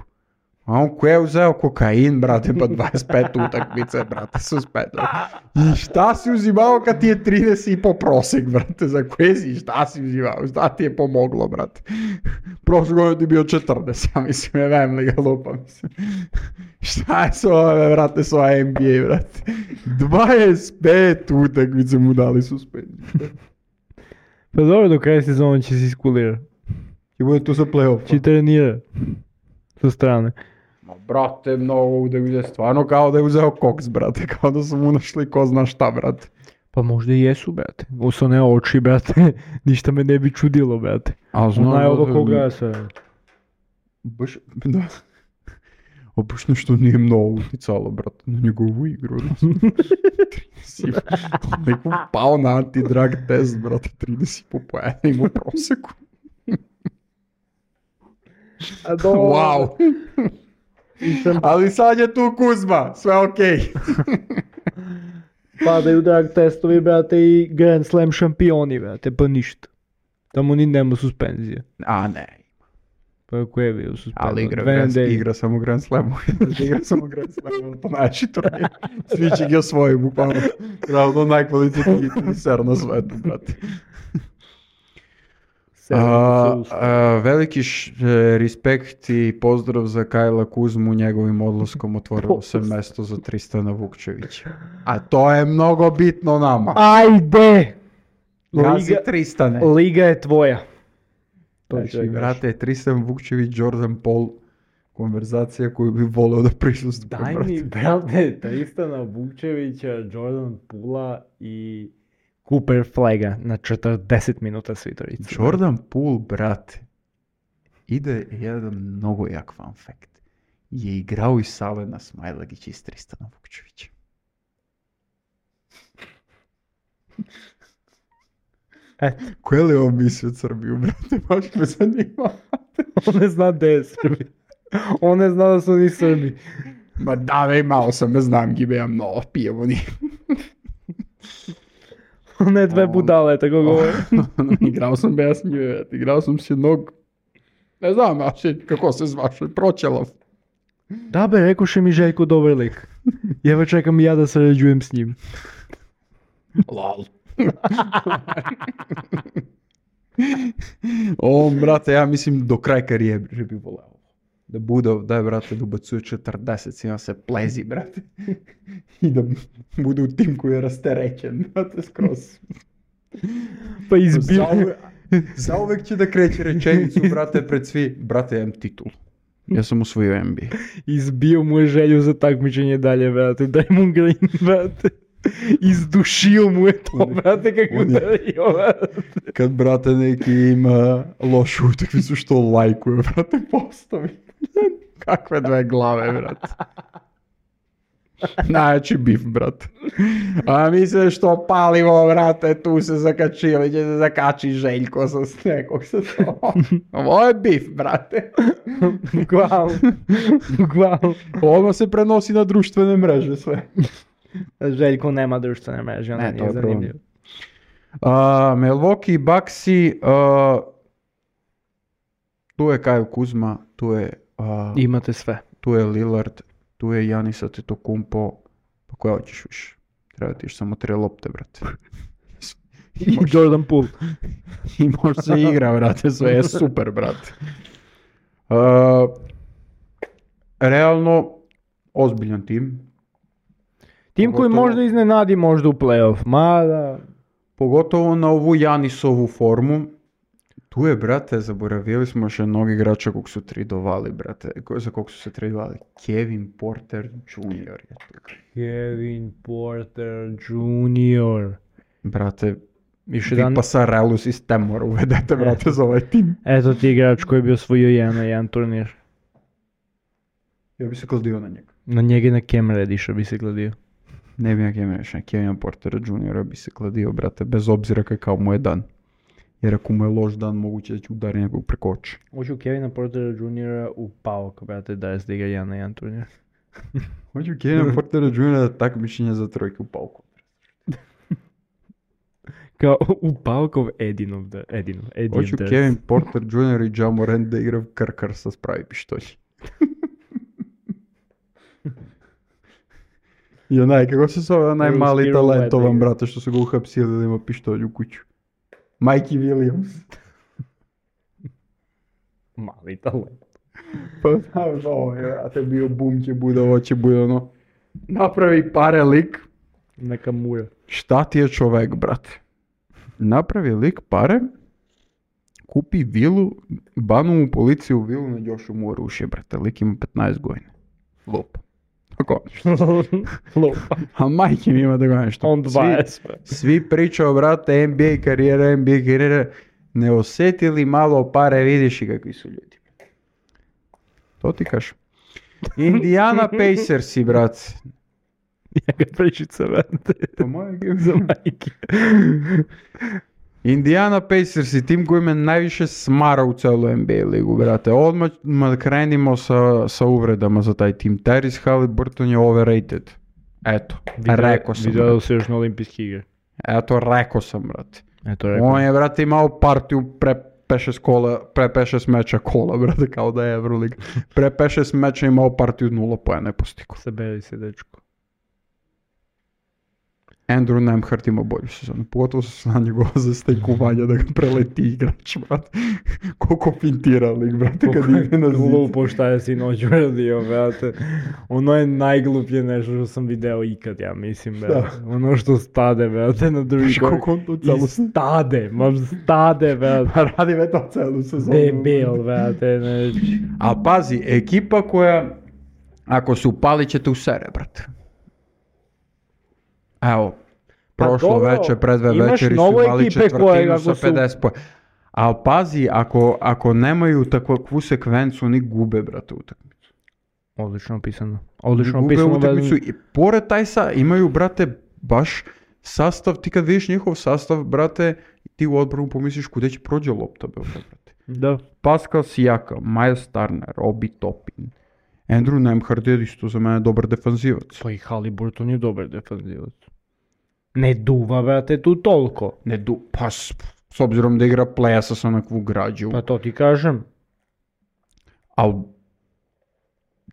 A on ko je uzeo kokain, brate, pa 25 utakmice, brate, suspendovan. I šta si uzimao kad ti je 30,5 prosek, brate, za koje si, šta si uzimao, šta ti je pomoglo, brate. Prošle godine ti bio 40, ja mislim, je vem li ga lupa, mislim. Šta je s ove, brate, s ova NBA, brate. 25 utakmice mu dali suspenziju. Pa dobro, do kraja sezona će se iskulira. I bude tu za play-off. Će trenira. Sa strane. Brate, mnogo utakmice, stvarno kao da je uzeo koks, brate. Kao da su mu našli ko zna šta, brate. Pa možda i jesu, brate. Oso ne oči, brate. Ništa me ne bi čudilo, brate. Ona je ovo koga se... Baš, da. A baš nešto nije mnogo uticalo, brate, na njegovu igru. Neko pao na antidrag test, brate, 30,5 poena ima u proseku. Wow. Ali sad je tu Kuzma, sve okej. Padaju drag testovi, brate, i Grand Slam šampioni, brate, pa ništa. Tamo ni nema suspenzije. A ne. Pa ko je bio suspendan? Ali igra samo Grand Slamu. Igra samo Grand Slamu, to najjači turnir. Svi će ga osvoji, bukvalno. Ravno najkvalitetniji teniser na svetu, brate. Veliki respekt i pozdrav za Kajla Kuzmu, njegovim odlaskom otvorilo se mesto za Tristana Vukčevića. A to je mnogo bitno nama. Ajde! Gazi Tristane. Liga je tvoja. Znači, brate, Tristan Vukčević, Jordan Paul, konverzacija koju bi voleo da prisustvujem. Daj mi, brate, Tristana Vukčevića, Jordan Poola i Cooper Flaga na 40 minuta svitorica. Jordan Poole, brate, ide jedan mnogo jak fun fact. Je igrao i Salena Smajlagić iz Tristana Vukčevića. Koje li on misli od Srbiju, brate? Baš me zanima. On ne zna gde je Srbi. On ne zna da su oni Srbi. Ma da, vej, malo sam, ne znam, gibe ja mnogo, pijemo ni. Ne dve budale, tako govori. Igrao sam bez nje, igrao sam s jednog, ne znam, kako se zvaš, Proćelov. Da be, rekoše mi Željko dobar lik. Jeva čekam i ja da sarađujem s njim. Lol. Brate, ja mislim do kraja karijere bi voleo. Da bude, daj, brate, da ubacuje 40, ima se plezi, brate. I da bude u tim koji je rasterećen, brate, skroz. Pa izbio. Zauvek će da kreće rečenicu, brate, pred svi. Brate, ja imam titul. Ja sam osvojio NBA. Izbio mu je želju za takmičenje dalje, brate. Daj mu Green, brate. Izdušio mu je to, brate, kako udario, brate. Kad, brate, neki ima lošu utakmicu što lajkuje, brate, postavi. Kakve dve glave, brate. Najjači bif, brate. A mi se što palimo, brate, tu se zakačili, će se zakači Željko sa nekog sa to. Ovo je bif, brate. Bukvalno. Ovo se prenosi na društvene mreže sve. Željko nema društvene mreže, ona nije zanimljiva. Milwaukee Bucksi, tu je Kyle Kuzma, tu je... Imate sve. Tu je Lillard, tu je Giannis Antetokounmpo, pa koja hoćeš više? Treba ti još samo 3 lopte, brate. I Jordan Poole. I može se igra, brate, sve je super, brate. realno ozbiljan tim. Tim koji Pogotovo- možda iznenadi možda u play-off, mada... Pogotovo na ovu Janisovu formu. Tu je, brate, zaboravili smo još jednog igrača kog su tradovali, brate. Za kog su se tradovali? Kevin Porter Jr. je tu. Kevin Porter Jr. Brate, Više vi dan... pa Sarelu sistemor uvedete, brate, za ovaj tim. Eto ti igrač koji bi osvojio jedan turnir. Ja bi se kladio na njega. Na njega i na Cam Reddiša bi se gladio. Ne bi na Kevina Portera Jr. bi se kladio, brate, bez obzira kakav mu je dan. Jer ako mu je loš dan, moguće da će udari nekog preko oči. Hoću Kevina Portera Jr. u Pauk, brate, da igra jedan turnir. Hoću Kevina Portera Jr. da takmičenje za trojke u pauku. Kao u Paukov Edinov. Hoću Kevin Porter Jr. i Ja Morant da igra krkar sa spravi pištolji. I onaj, kako se zove, onaj Ruski mali rulet talentovan, igra. brate, što su ga uhapsili da ima pištolj u kuću. Mikey Williams. Mali talent. Pa znaš, ovo je, brate, bio bum će bude, ovo će bude, ono, napravi pare lik. Neka mura. Šta ti je čovek, brate? Napravi lik pare, kupi vilu, banu mu policiju u vilu, još mu orušje, brate. Lik ima 15 godina. Lupa. Tako, Lupa. a majke mi ima da gledam što. On 20. Svi pričaju, brate, NBA karijera, ne osjetili malo pare, vidiš i kakvi su ljudi. To ti kažem. Indiana Pacersi, brate. Njega pričica, brate. Pa moje Za majke. Indiana Pacers je tim koji me najviše smara u celoj NBA ligu, brate. Odmah krenimo sa uvredama za taj tim. Tyrese Haliburton je overrated. Eto, rekao sam. Vidio se još na olimpijski igre. Eto, rekao sam, brate. Eto, rekao. On je, brate, imao partiju pre 5-6 meča kola, brate, kao da je Euroleague. Pre 5-6 meča imao partiju 0 poena je postigo. Saberi se, dečko. Andrew Nemhart ima bolju sezonu, pogotovo su na njegova zastajkovanja da ga preleti igrač, brate. Koliko fintira lik, brate, kad ide na zid. Glupo šta je sinoć uradio, brate. Ono je najgluplje nešto što sam video ikad, ja mislim, brate. Ono što stade, brate, na drugi gol. Koliko on to celu Stade, brate. Pa radi već to celu sezonu. Debil, brate, znači. A pazi, ekipa koja, ako se upali ćete u sere, brate. Evo, Pa prošlo dobro, večer, pred dve imaš večeri su mnogo imali ekipe koje četvrtinu ako sa su- 50 poena. Ali pazi, ako nemaju takvu sekvencu, oni gube, brate, utakmicu. Odlično opisano. Oni Odlično gube opisano. utakmicu i pored taj imaju, brate, baš sastav, ti kad vidiš njihov sastav, brate, ti u odbranu pomisliš kude će prođe lopta, brate. Da. Pascal Siakam, Miles Turner, Obi Toppin, Andrew Nemhart je isto za mene dobar defanzivac. Pa i Haliburton je dobar defanzivac. Ne duva, brate, tu toliko. Pa s obzirom da igra play-a sa onakvu građu. Pa to ti kažem. Al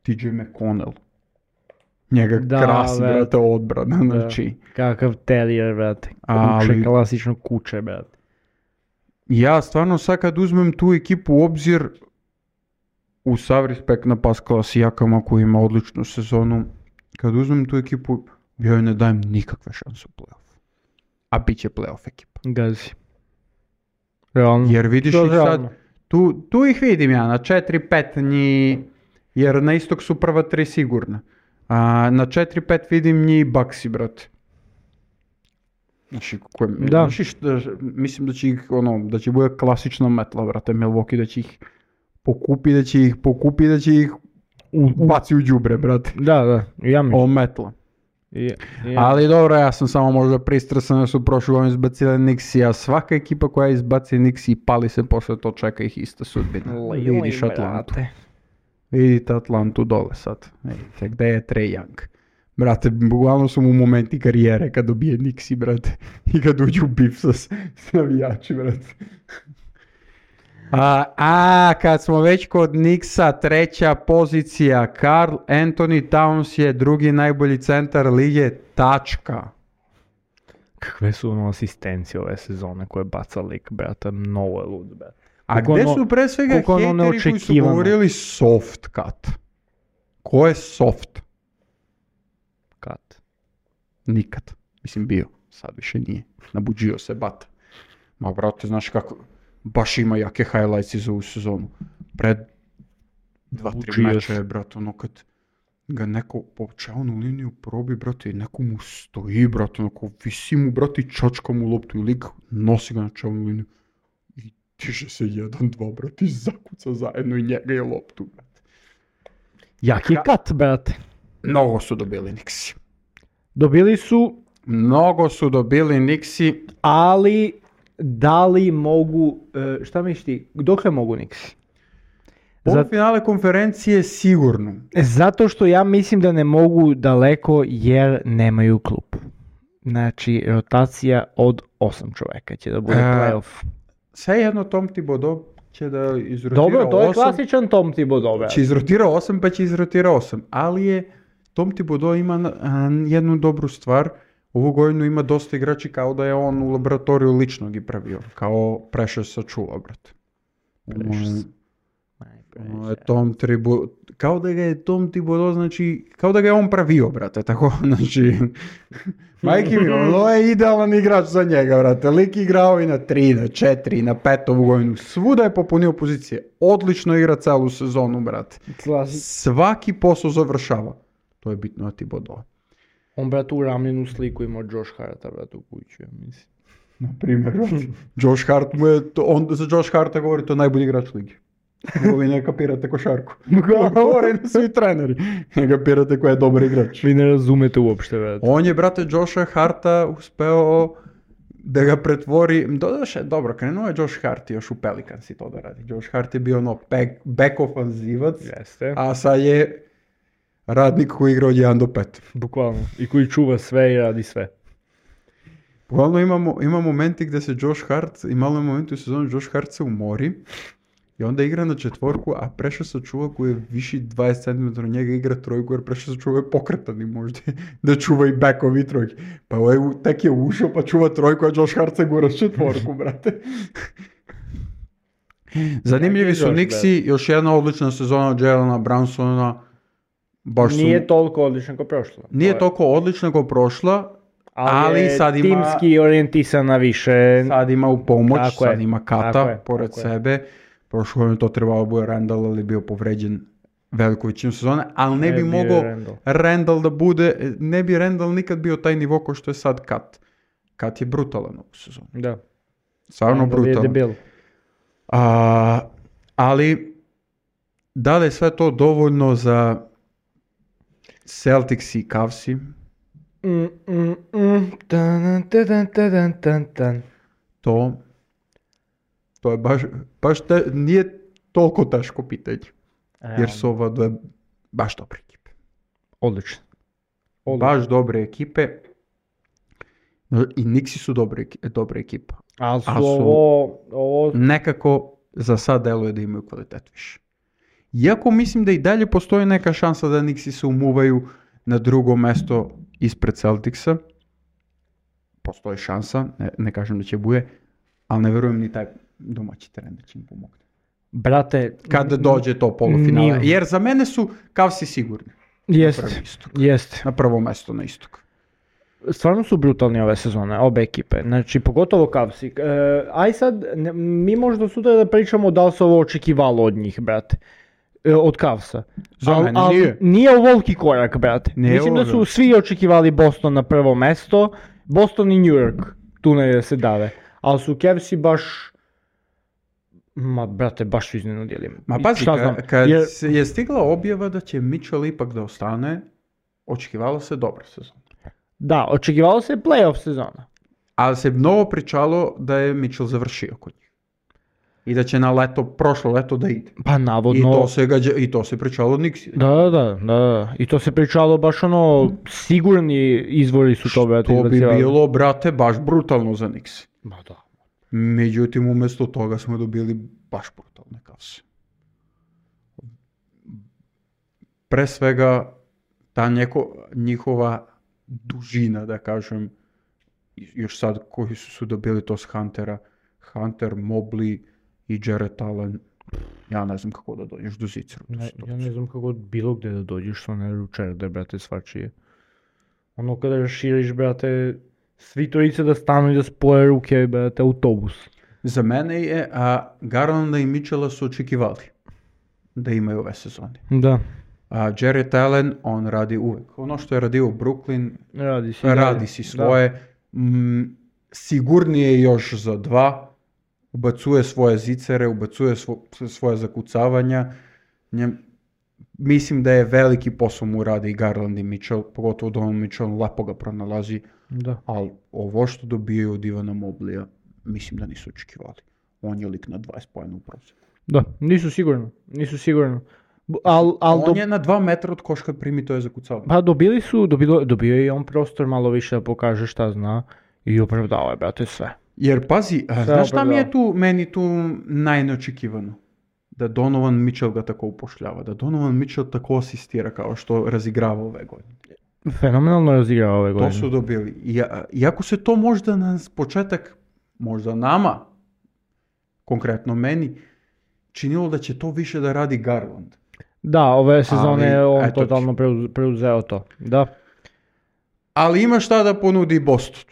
TJ McConnell. Njega Da, krasi, brate. brate, odbrana. Znači, Kakav terrier, brate. Ali- Kuće, klasično kuće, brate. ja stvarno sad kad uzmem tu ekipu u obzir, u sav respekt na Pascala Siakama koji ima odličnu sezonu, kad uzmem tu ekipu, ja joj ne dajem nikakve šanse u play-off. A bit će play-off ekipa. Gazi. Realno. Jer vidiš To ih realno. sad, tu ih vidim ja, na 4-5 njih, jer na istok su prva 3 sigurna. A na 4-5 vidim njih Bucksi, brate. Znači, Da. mislim da će ih, da će bude klasična metla, brate, Milwaukee, da će ih pokupi, da će ih baci u đubre, brate. Da, ja mislim. O metla. Ja. Ali dobro, ja sam samo možda pristrasan da su prošle godine izbacili Nixi, a svaka ekipa koja izbaci Nixi i pali se posle to, čeka ih ista sudbina. Vidiš Atlantu. Vidite Atlantu dole sad. Vidite gde je Trae Young. Brate, bukvalno su mu momenti karijere kad dobije Nixi, brate. I kad uđu u bif sa navijači, brate. Kad smo već kod Nixa, treća pozicija, Karl Anthony Towns je drugi najbolji centar lige, tačka. Kakve su ono asistencije ove sezone koje baca lik, brate, mnogo je lud, brate. A Koliko gde ono- su pre svega koliko ono hejteri koji su neočekivano. govorili soft cut? Ko je soft? Kat. Nikad. Mislim bio. Sad više nije. Nabuđio se bata. Ma brate, znaš kako, baš ima jake highlights iz ovu sezonu. Pred 2-3 Nabuđio meča je, se. brate, ono kad ga neko po čelnu liniju probi, brate, i neko mu stoji, brate, onako visi mu, brate, i čačka mu loptu i lik nosi ga na čelnu liniju. I tiže se 1-2, brate, i zakuca zajedno i njega je loptu, brate. Jaki kat, brate. Mnogo su dobili Nixi. Dobili su, Mnogo su dobili Nixi. ali da li mogu, šta misliš ti, dokle mogu Nixi? Polufinale konferencije sigurno. Zato što ja mislim da ne mogu daleko jer nemaju klub. Znači, rotacija od 8 čoveka će da bude playoff. Sve jedno Tom Thibodeau će da izrotira Dobro, to je 8. klasičan Tom Thibodeau, brate. Će izrotira 8, pa će izrotira 8. Ali je Tom Thibodeau ima jednu dobru stvar. Ovu godinu ima dosta igrači kao da je on u laboratoriju lično gi pravio. Kao Precious sačuva, brate. Tom Thibodeau, kao da ga je Tom Thibodeau, znači, kao da ga je on pravio, brate, tako, znači, majke mi, ono je idealan igrač za njega, brate, lik igrao i na 3, na 4, na 5 ovu godinu, svuda je popunio pozicije, odlično igra celu sezonu, brate, svaki posao završava, to je bitno na Thibodeau. On, brate, u ramljenu sliku imao Josh Harta, brate, u kuću, ja mislim. Na primjer, Josh Hart mu je, on za Josh Harta govori to je najbolji igrač ligi. Nego vi ne kapirate košarku. Govore na svi treneri. Ne kapirate ko je dobar igrač. Vi ne razumete uopšte, brate. On je, brate, Josha Harta uspeo da ga pretvori, dodaše, dobro, krenuo je Josh Hart još u Pelicans i to da radi. Josh Hart je bio ono back ofanzivac, Jeste. a sad je radnik koji igra od 1 do 5. Bukvalno. I koji čuva sve i radi sve. Bukvalno ima momenti gde se Josh Hart, i malo je momenti u sezonu Josh Hart se umori i onda igra na četvorku, a Precious sačuva koji je viši 20 cm od njega igra trojku, jer Precious sačuva je pokretan i možda da čuva i backovi trojke. Pa ovaj tek je ušao pa čuva trojku, a Josh Hart se gura s četvorku, brate. Zanimljivi su Nixi, još jedna odlična sezona od Jalena Brunsona. Nije toliko odlična kao prošla. Nije toliko odlična kao prošla, ali sad ima timski orijentisana više. Sad ima u pomoć, Tako sad je, ima Kata tako je, pored tako je. sebe. Prošlo je to trebalo bude Randall, ali bio povređen veliku većinu sezone, ali ne bi bio je mogao Randall. Randall da bude, ne bi Randall nikad bio taj nivo kao što je sad Kat. Kat je brutalan ovu sezonu. Da. Stvarno Randall je brutalan. debil. Ali da li je sve to dovoljno za Celtics i Cavsi? To je baš nije toliko teško pitanje. Jer su ova dve baš dobre ekipe. Odlično. Baš dobre ekipe. I Nixi su dobre ekipa. Ali su A su- ovo... Nekako za sad deluje da imaju kvalitet više. Iako mislim da i dalje postoji neka šansa da Nixi se umuvaju na drugo mesto ispred Celticsa. Postoji šansa, ne kažem da će bude, ali ne verujem ni taj domaći teren da će im pomogne. Brate... Kada dođe to polufinale. Nije. Jer za mene su Cavsi sigurni. Jest. Na prvo mesto na istok. Stvarno su brutalni ove sezone, obe ekipe. Znači, pogotovo Cavsi. Aj sad, mi možda sutra da pričamo da li se ovo očekivalo od njih, brate. Od Cavsa. Za mene nije. Nije ovoliki korak, brate. Nije Mislim da su ovoliki. svi očekivali Boston na prvo mesto. Boston i New York. Tu ne se dave. Ali su Cavsi baš... Ma, brate, baš su iznenudili. Ma pazi, Šta znam, kad jer- je stigla objava da će Mitchell ipak da ostane, očekivalo se dobra sezona. Da, očekivalo se playoff sezona. Ali se mnogo pričalo da je Mitchell završio kod njih. I da će na leto, prošlo leto da ide. Pa navodno... I to se pričalo od Nixi. Da. I to se pričalo baš ono, sigurni izvori su to, brate, To bi izbacivali. bilo, brate, baš brutalno za Nixi. Ma da. Međutim, umjesto toga smo dobili baš brutalne Cavse. Pre svega, ta njihova dužina, da kažem, još sad koji su dobili to s Huntera, Hunter, Mobley i Jarrett Allen. Ja ne znam kako da dođeš do Zicera. Ja ne znam kako bilo gde da dođeš sa one ručerde, brate, svačije. Ono kada raširiš, brate, svi trojice da stanu i da spoje ruke, brate, autobus. За мене je, Garlanda i Mitchella su očekivali da imaju ove sezone. Da, A Jarrett Allen, on radi uvek. Ono što je radio u Brooklyn, radi si svoje. Sigurnije je još za 2. Ubacuje svoje zicere, ubacuje svoje zakucavanja. Mislim da je veliki posao mu radi i Garland i Mitchell, pogotovo Donovan Mitchell lepo ga pronalazi. Da. Ali ovo što dobijaju od Ivana Moblija, mislim da nisu očekivali. On je lik na 20 poena u prosjeku. Da, nisu sigurno. On je na 2 metra od koška primi to je zakucavanje. Pa dobio je i on prostor malo više da pokaže šta zna i opravdao je, brate, sve. Jer pazi, znaš šta meni tu najneočekivano? Da Donovan Mitchell ga tako upošljava, da Donovan Mitchell tako asistira kao što razigrava ove godine. Fenomenalno razigrava ove godine. To su dobili. Iako se to možda na početak, možda nama, konkretno meni, činilo da će to više da radi Garland. Da, ove sezone je on totalno preuzeo to. Da. Ali ima šta da ponudi Boston.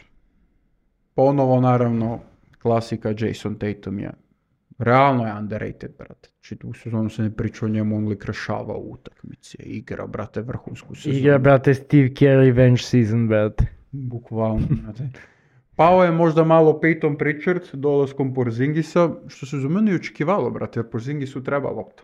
Ponovo, naravno, klasika Jason Tatum je. Realno je underrated, brate. Čitavu sezonu se ne priča o njemu, on lik rešava u utakmice. Igra, brate, vrhunsku sezonu. Igra, brate, Steve Kerr revenge season, brate. Bukvalno, brate. Pao je možda malo Peyton Pritchard dolaskom Porzingisa, što se za mene i očekivalo, brate, jer Porzingisu treba lopta.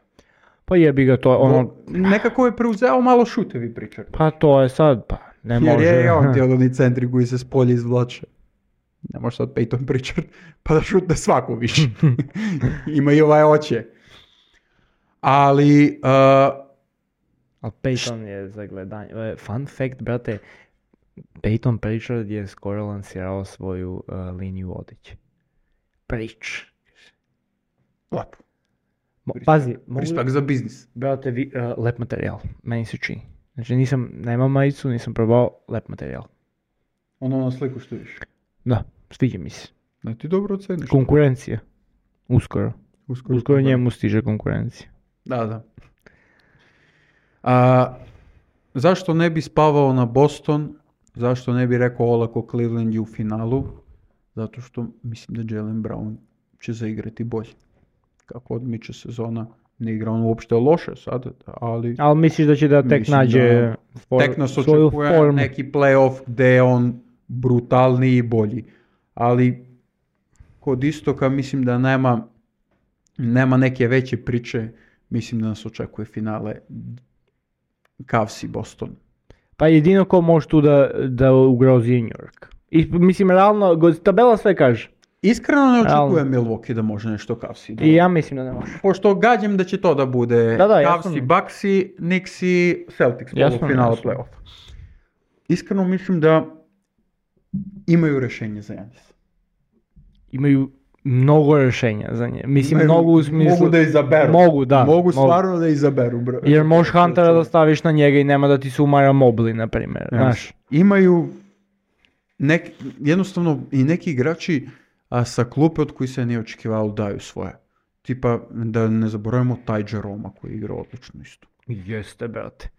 Pa jebi ga to, ono... Nekako je preuzeo malo šutevi Pritchard. Pa to je sad, pa ne može. Jer je on ti od oni centri koji se s polja izvlače. Ne može sad Peyton Pritchard pa da šutne svaku više. Ima i ovaj oče. Ali... Ali Peyton je za gledanje. Fun fact, brate, Peyton Pritchard je skoro lansirao svoju liniju odeće. Lepo. Pazi, Respekt za biznis. Brate, lep materijal, meni se čini. Znači nemam majicu, nisam probao, lep materijal. Ono na sliku što viš. Da, sviđa mi se. Da ti dobro oceniš. Konkurencija. Uskoro njemu stiže konkurencija. Da. Zašto ne bi spavao na Boston? Zašto ne bi rekao olako Cleveland je u finalu? Zato što mislim da Jaylen Brown će zaigrati bolje. Kako odmiče sezona, ne igra on uopšte loše sad, ali... Ali misliš da će da tek nađe tek nas očekuje neki playoff gde je on brutalniji i bolji. Ali kod Istoka mislim da nema neke veće priče, mislim da nas očekuje finale Cavs i Boston. Pa jedino ko može tu da ugrozi New York. I mislim, realno, tabela sve kaže. Iskreno ne očekujem Milwaukee da može nešto Cavsi. I ja mislim da ne može. Pošto gađam da će to da bude Cavsi, Bucksi, Knicksi, Celtics finala play-offa. Iskreno mislim da imaju rješenje za Giannis. Imaju mnogo rješenja za nje. Mislim, mnogo u smislu... Mogu da izaberu. Mogu stvarno da izaberu. Bro. Jer možeš Huntera da staviš na njega i nema da ti se umara Mobley, na primjer. Znaš. Imaju jednostavno i neki igrači sa klupe od koji se nije očekivalo daju svoje. Tipa, da ne zaboravimo taj Jeroma koji igra odlično isto. Jeste, brate.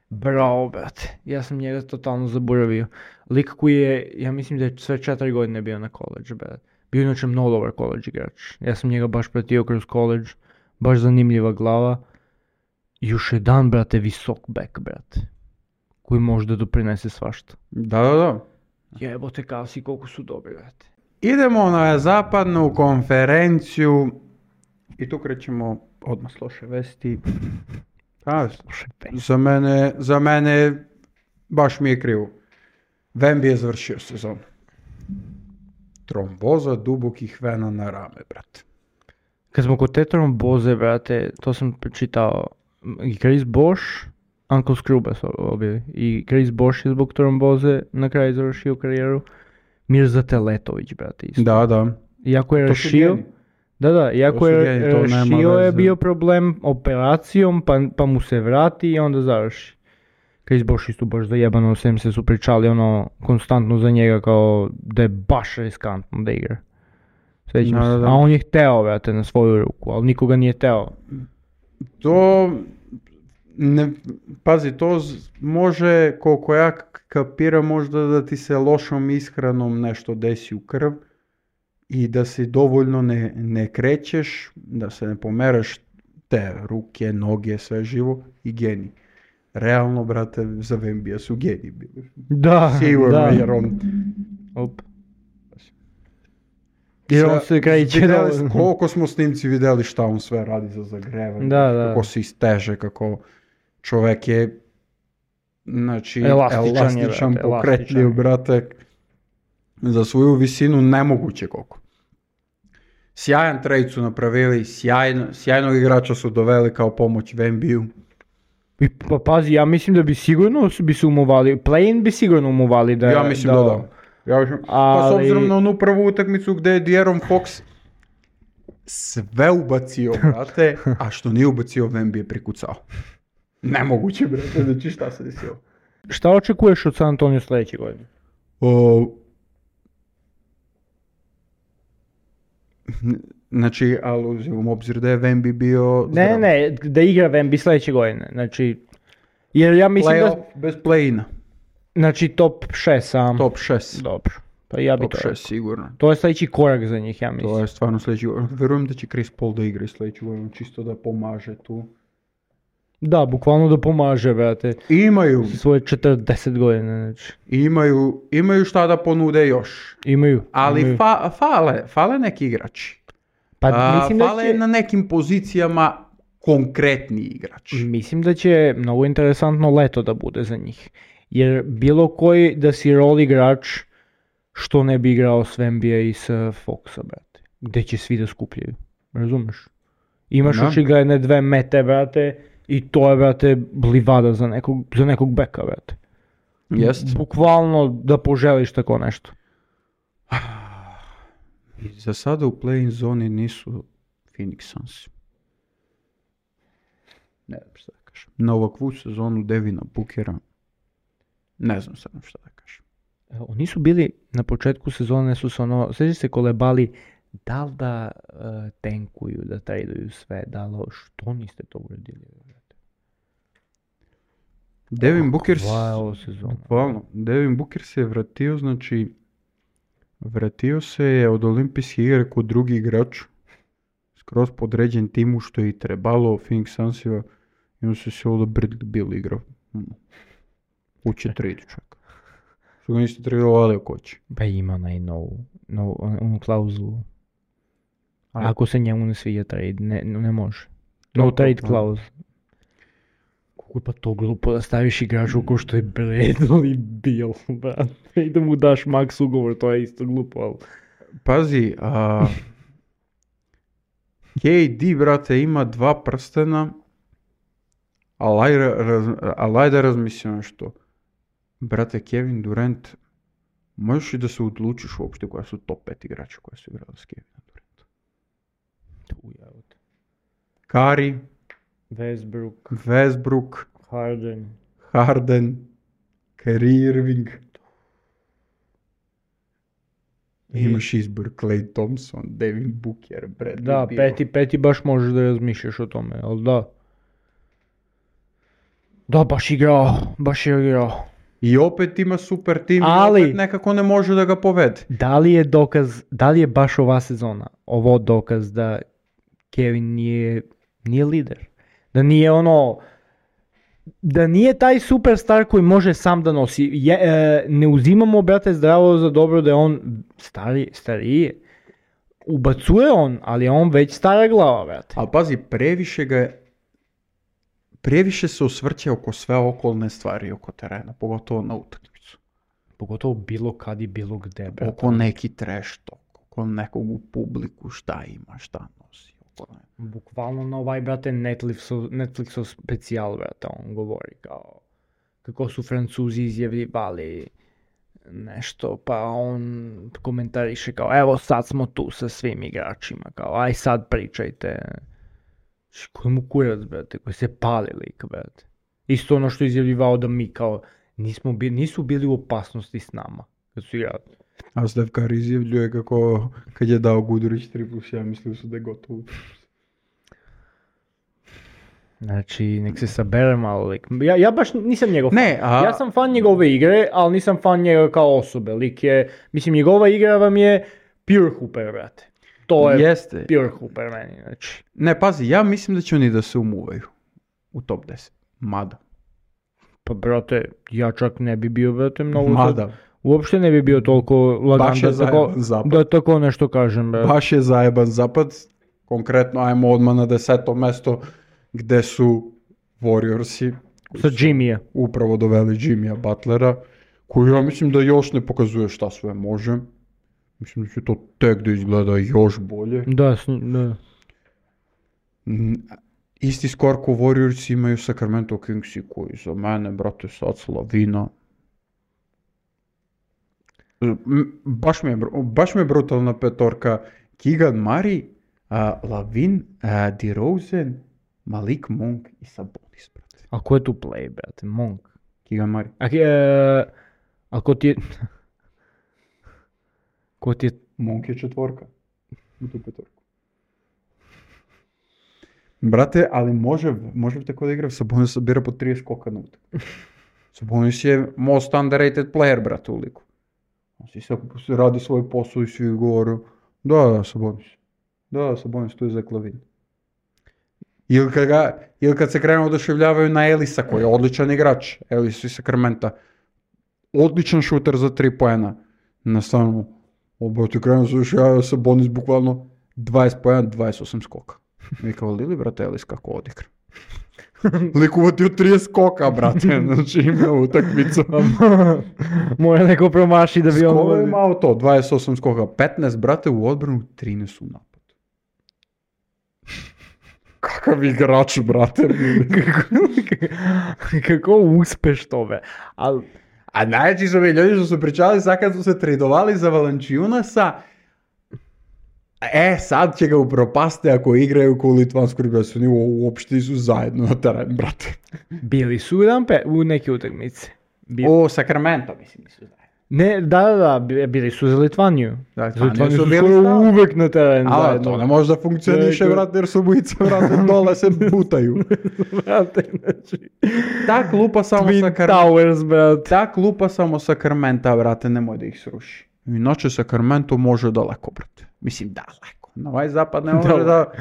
Bravo, brate. Ja sam njega totalno zaboravio. Lik koji je, ja mislim da je sve 4 godine bio na college, brate. Bio inače mnogo dobar college igrač. Ja sam njega baš pratio kroz college. Baš zanimljiva glava. Još jedan, brate, visok back, brate. Koji može da doprinese svašta. Da. Jebote, kao si koliko su dobri, brate. Idemo na zapadnu konferenciju i tu krećemo odmah s loše vesti. Za mene baš mi je krivo. Wemby je završio sezonu. Tromboza dubokih vena na rame, brate. Kad smo kod te tromboze, brate, to sam pročitao. I Chris Bosh, Uncle Scrubba su obili. I Chris Bosh je zbog tromboze na kraju završio karijeru. Mirza Teletović, brate, isto. Da. Iako je rešio... Iako je rešio je bio problem operacijom, pa mu se vrati i onda završi. Chris Bosh isto baš zajebano, sem se su pričali konstantno za njega kao da je baš riskantno da igra. Sjećam Da, se. da, da. A on je hteo, brate, na svoju ruku, ali nikoga nije hteo. To, pazi, to može, koliko ja kapiram, možda da ti se lošom ishranom nešto desi u krv i da si dovoljno ne krećeš, da se ne pomeraš te ruke, noge, sve živo i geni. Realno, brate, za Vembija su geni bili. Da, Sigurno, da. jer on... Op. Jer on se kreće vidjeli, koliko smo snimci vidjeli šta on sve radi za zagrevanje, Da. kako se isteže, kako čovjek je, znači, Elastičan je, elastičan, brate, pokretljiv, elastičan. brate, za svoju visinu nemoguće koliko. Sjajan trade su napravili, sjajnog igrača su doveli kao pomoć Vembiju. I pa pazi, ja mislim da bi sigurno bi se umovali, play-in bi sigurno umovali da... Ja mislim da. Pa s obzirom na onu prvu utakmicu gdje je De'Aaron Fox sve ubacio, brate, a što nije ubacio, Wemby je prikucao. Nemoguće, brate, znači šta se desilo. Šta očekuješ od San Antonio sljedeće godine? Znači, ali uzimam obzir da je Wemby bio zdrav. Ne, da igra Wemby sljedeće godine, znači... Jer ja mislim Playoff da... bez play-ina. Znači top 6 sam. Top 6. Dobro, pa ja bi Top to 6 rekao. sigurno. To je sljedeći korak za njih, ja mislim. To je stvarno sljedeći. Vjerujem da će Chris Paul da igra sljedeću godinu, čisto da pomaže tu. Da, bukvalno da pomaže, brate. Imaju, Svoje 40 godina, znači. imaju šta da ponude još. Imaju. Ali imaju. fale neki igrači. Pa mislim da Fale će... na nekim pozicijama konkretni igrač. Mislim da će mnogo interesantno leto da bude za njih. Jer bilo koji da si rol igrač, što ne bi igrao s Wembija i s Foxa, brate. Gdje će svi da skupljaju. Razumeš? Imaš Da. očigledne 2 mete, brate, i to je, brate, livada za nekog beka, brate. Jest. Bukvalno da poželiš tako nešto. I za sada u play-in zoni nisu Phoenix Suns. Ne znam šta da kažem. Na ovakvu sezonu Devina Bookera ne znam sad šta da kažem. Oni su bili, na početku sezone su se sveći se kolebali, da li da tenkuju, da traduju sve, da li, što niste to uredili? Devin Booker Ovo sezona. bukvalno, Devin Booker se je vratio, znači vratio se je od olimpijske igre kod drugi igrač, skroz podređen timu što je i trebalo, Phoenix Sunsima, i on se ovdje Bradley Beal igrao. Uće trade čak. Što ga niste tradovali ako će. Pa ima onaj onu klauzulu. Ako se njemu ne svija trade, ne može. No trade clause. Kako je pa to glupo da staviš igraču ko što je Bradley Beal, brate, i da mu daš max ugovor, to je isto glupo, ali... Pazi, KD, brate, ima 2 prstena, ali da razmislim nešto. Brate, Kevin Durant, možeš i da se odlučiš uopšte koja su top 5 igrača koja su igrali s Kevinom Durantom. Curry, Westbrook, Harden, Kyrie Irving. Imaš izbor Klay Thompson, Devin Booker, Bradley Da, Beal. peti baš možeš da razmišljaš o tome, ali da. Da, baš je igrao. I opet ima super tim, Ali- i opet nekako ne može da ga povede. Da li je baš ova sezona, ovo dokaz da Kevin nije lider? Da nije da nije taj superstar koji može sam da nosi. Ne uzimamo, brate, zdravo za dobro da je on stariji. Ubacuje on, ali je on već stara glava, brate. Ali pazi, previše se osvrće oko sve okolne stvari oko terena, pogotovo na utakmicu. Pogotovo bilo kad i bilo gde, brate. Oko neki trash talk, oko nekog u publiku, šta ima, šta nosi. Bukvalno na ovaj, brate, Netflixov specijal, brate, on govori kao kako su Francuzi izjavljivali nešto, pa on komentariše kao evo sad smo tu sa svim igračima, kao aj sad pričajte. Koji mu kurac, brate, koji se pali lik, brate. Isto ono što je izjavljivao da mi kao nisu bili u opasnosti s nama. kad su igrali. A Stef Curry izjavljuje kako kad je dao Gudurić 3+1 mislili su da je gotovo. Znači, nek se sabere malo lik. Ja baš nisam njegov Ne, fan. Ja sam fan njegove igre, ali nisam fan njega kao osobe. Lik je, mislim, njegova igra vam je pure hooper, brate. To je Jeste. pure hooper meni, znači. Ne, pazi, ja mislim da će oni da se umuvaju u top 10. Mada. Pa, brate, ja čak ne bi bio, brate, mnogo... Mada. Uopšte ne bi bio toliko lagan Baš je zajeban zapad. da tako nešto kažem, brate. Baš je zajeban zapad. Konkretno, ajmo odmah na 10. mesto gde su Warriorsi. Sa Jimmyja. Upravo doveli Jimmya Butlera, koji ja mislim da još ne pokazuje šta sve može. Mislim da će to tek da izgleda još bolje. Da. Isti skor ko Warriors imaju Sacramento Kingsi, koji za mene, brate, sad slavina. Baš mi je brutalna petorka. Keegan Murray, Lavin, DeRozan, Malik Monk i Sabonis, brate. A ko je tu play, brate? Monk. Keegan Murray. A ko ti je... Ko ti je... Monk je četvorka u tu petorku. Brate, ali može tako da igra. Sabonis sabira po 30 skoka na utak. Sabonis je most underrated player, brate, u liku. On si radi svoj posao i svi govoru, da, Sabonis. Da, Sabonis, tu je za Lavin. Ili kad se krenu oduševljavaju na Elisa, koji je odličan igrač, Elis iz Sacramenta, odličan šuter za 3 poena. Na stanu, ti krenu se oduševljavaju Sabonis bukvalno 20 poena, 28 skoka. Mi kao Lili, brate, Elis kako odigra. Lik uvatio 30 skoka, brate, znači ima utakmicu. Mora neko promaši da bi on... Skoro je imao to, 28 skoka, 15, brate, u odbranu, 13 u napadu. Kakav igrač, brate. Kako uspeš tome. A najveći su mi ljudi što su pričali sad kad su se tradovali za Valanciunasa, sad će ga upropasti ako igraju ko litvansku reprezentaciju, oni uopšte su zajedno na terenu, brate. Bili su u neke utakmice. O, Sacramento, mislim, nisu zajedno. Ne, da, bili su za Litvaniju. Da, Za Litvaniju su bili skoro uvek na terenu zajedno. To ne može da funkcioniše, brate, jer su obojica, brate, dole se butaju. Brate, znači... Ta klupa samo Twin Towers, brate. Ta klupa samo Sacramenta, brate, nemoj da ih sruši. Inače Sacramento može daleko, brate. Mislim, daleko. Na ovaj zapad ne može da...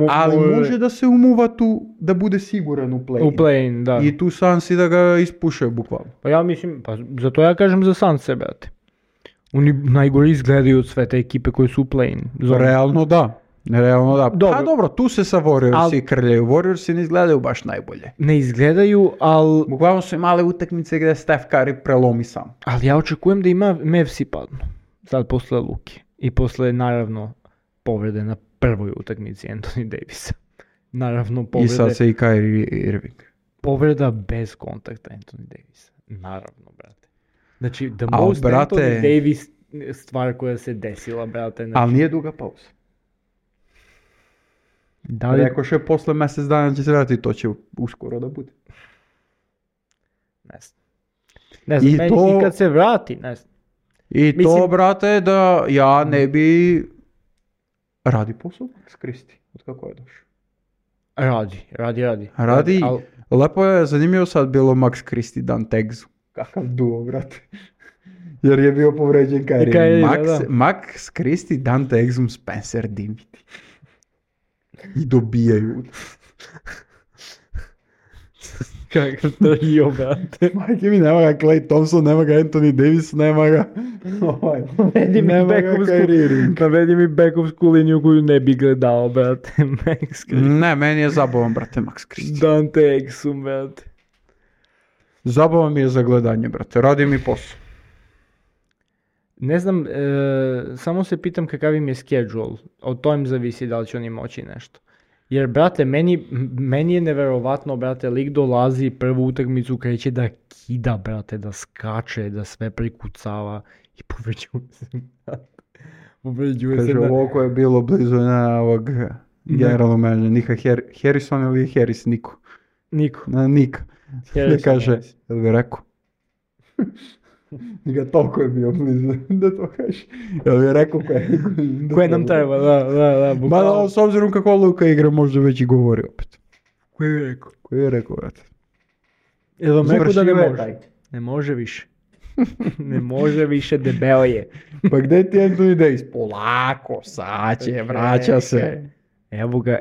Ali može da se umuva tu, da bude siguran u play-in. U play-in, da. I tu Sansi da ga ispušaju, bukvalno. Pa ja mislim, zato ja kažem za Sanse, brate. Oni najgore izgledaju od sve te ekipe koje su u play-in. Realno da. Dobro. Pa dobro, tu se sa Warriorsi krljaju. Warriorsi ne izgledaju baš najbolje. Ne izgledaju, ali... Bukvalno su imale utakmice gdje Steph Curry prelomi sam. Ali ja očekujem da ima Mavsi padnu. Sad posle Luki. I posle, naravno, povrede na prvoj utakmici Anthony Davisa. Naravno, povrede... I sad se i Kyrie Irving. Povreda bez kontakta Anthony Davisa. Naravno, brate. Znači, the most Anthony Davis stvar koja se desila, brate. Znači... Ali nije duga pauza. Rekoše posle mjesec dana će se vratiti, to će uskoro da bude. Ne znam, i kad se vrati, ne znam. I to, brate, da ja ne bi... Radi posao Max Christie, od kako je došao? Radi. Lepo je, zanimljivo sad bilo Max Christie, Dante Exum. Kakav duo, brate. Jer je bio povređen Kyrie. Max Christie, Dante Exum, Spencer Dinwiddie. I dobijaju. Kakav trio, brate. Majke mi, nema ga Klay Thompson, nema ga Anthony Davis, nema ga... Navedi mi backup liniju koju ne bi gledao, brate. Ne, meni je zabavan, brate, Max Christie. Dante Exum, brate. Zabavan mi je za gledanje, brate, radi mi posao. Ne znam, samo se pitam kakav im je schedule. Od to im zavisi da li će oni moći nešto. Jer, brate, meni je neverovatno, brate, lik dolazi prvu utakmicu kreće da kida, brate, da skače, da sve prikucava i povređuje se. Kaže, ovo koje je bilo blizu na ovog generalnog menadžera, Nika Harrison ili Harris, Niko. Niko. Nika. Da kaže, jel bi rekao? Toliko je bio blizu da to kažeš. Jel je rekao Koje nam treba, da, Ma bukvalno. s obzirom kako Luka igra, možda već i govori opet. Koje je rekao? Koji je rekao, brate? Jel vam rekao da ne Završio je može? taj. Ne može više. Ne može više, debeo je. Pa gdje ti Anthony Davis? Polako, sad će, vraća se.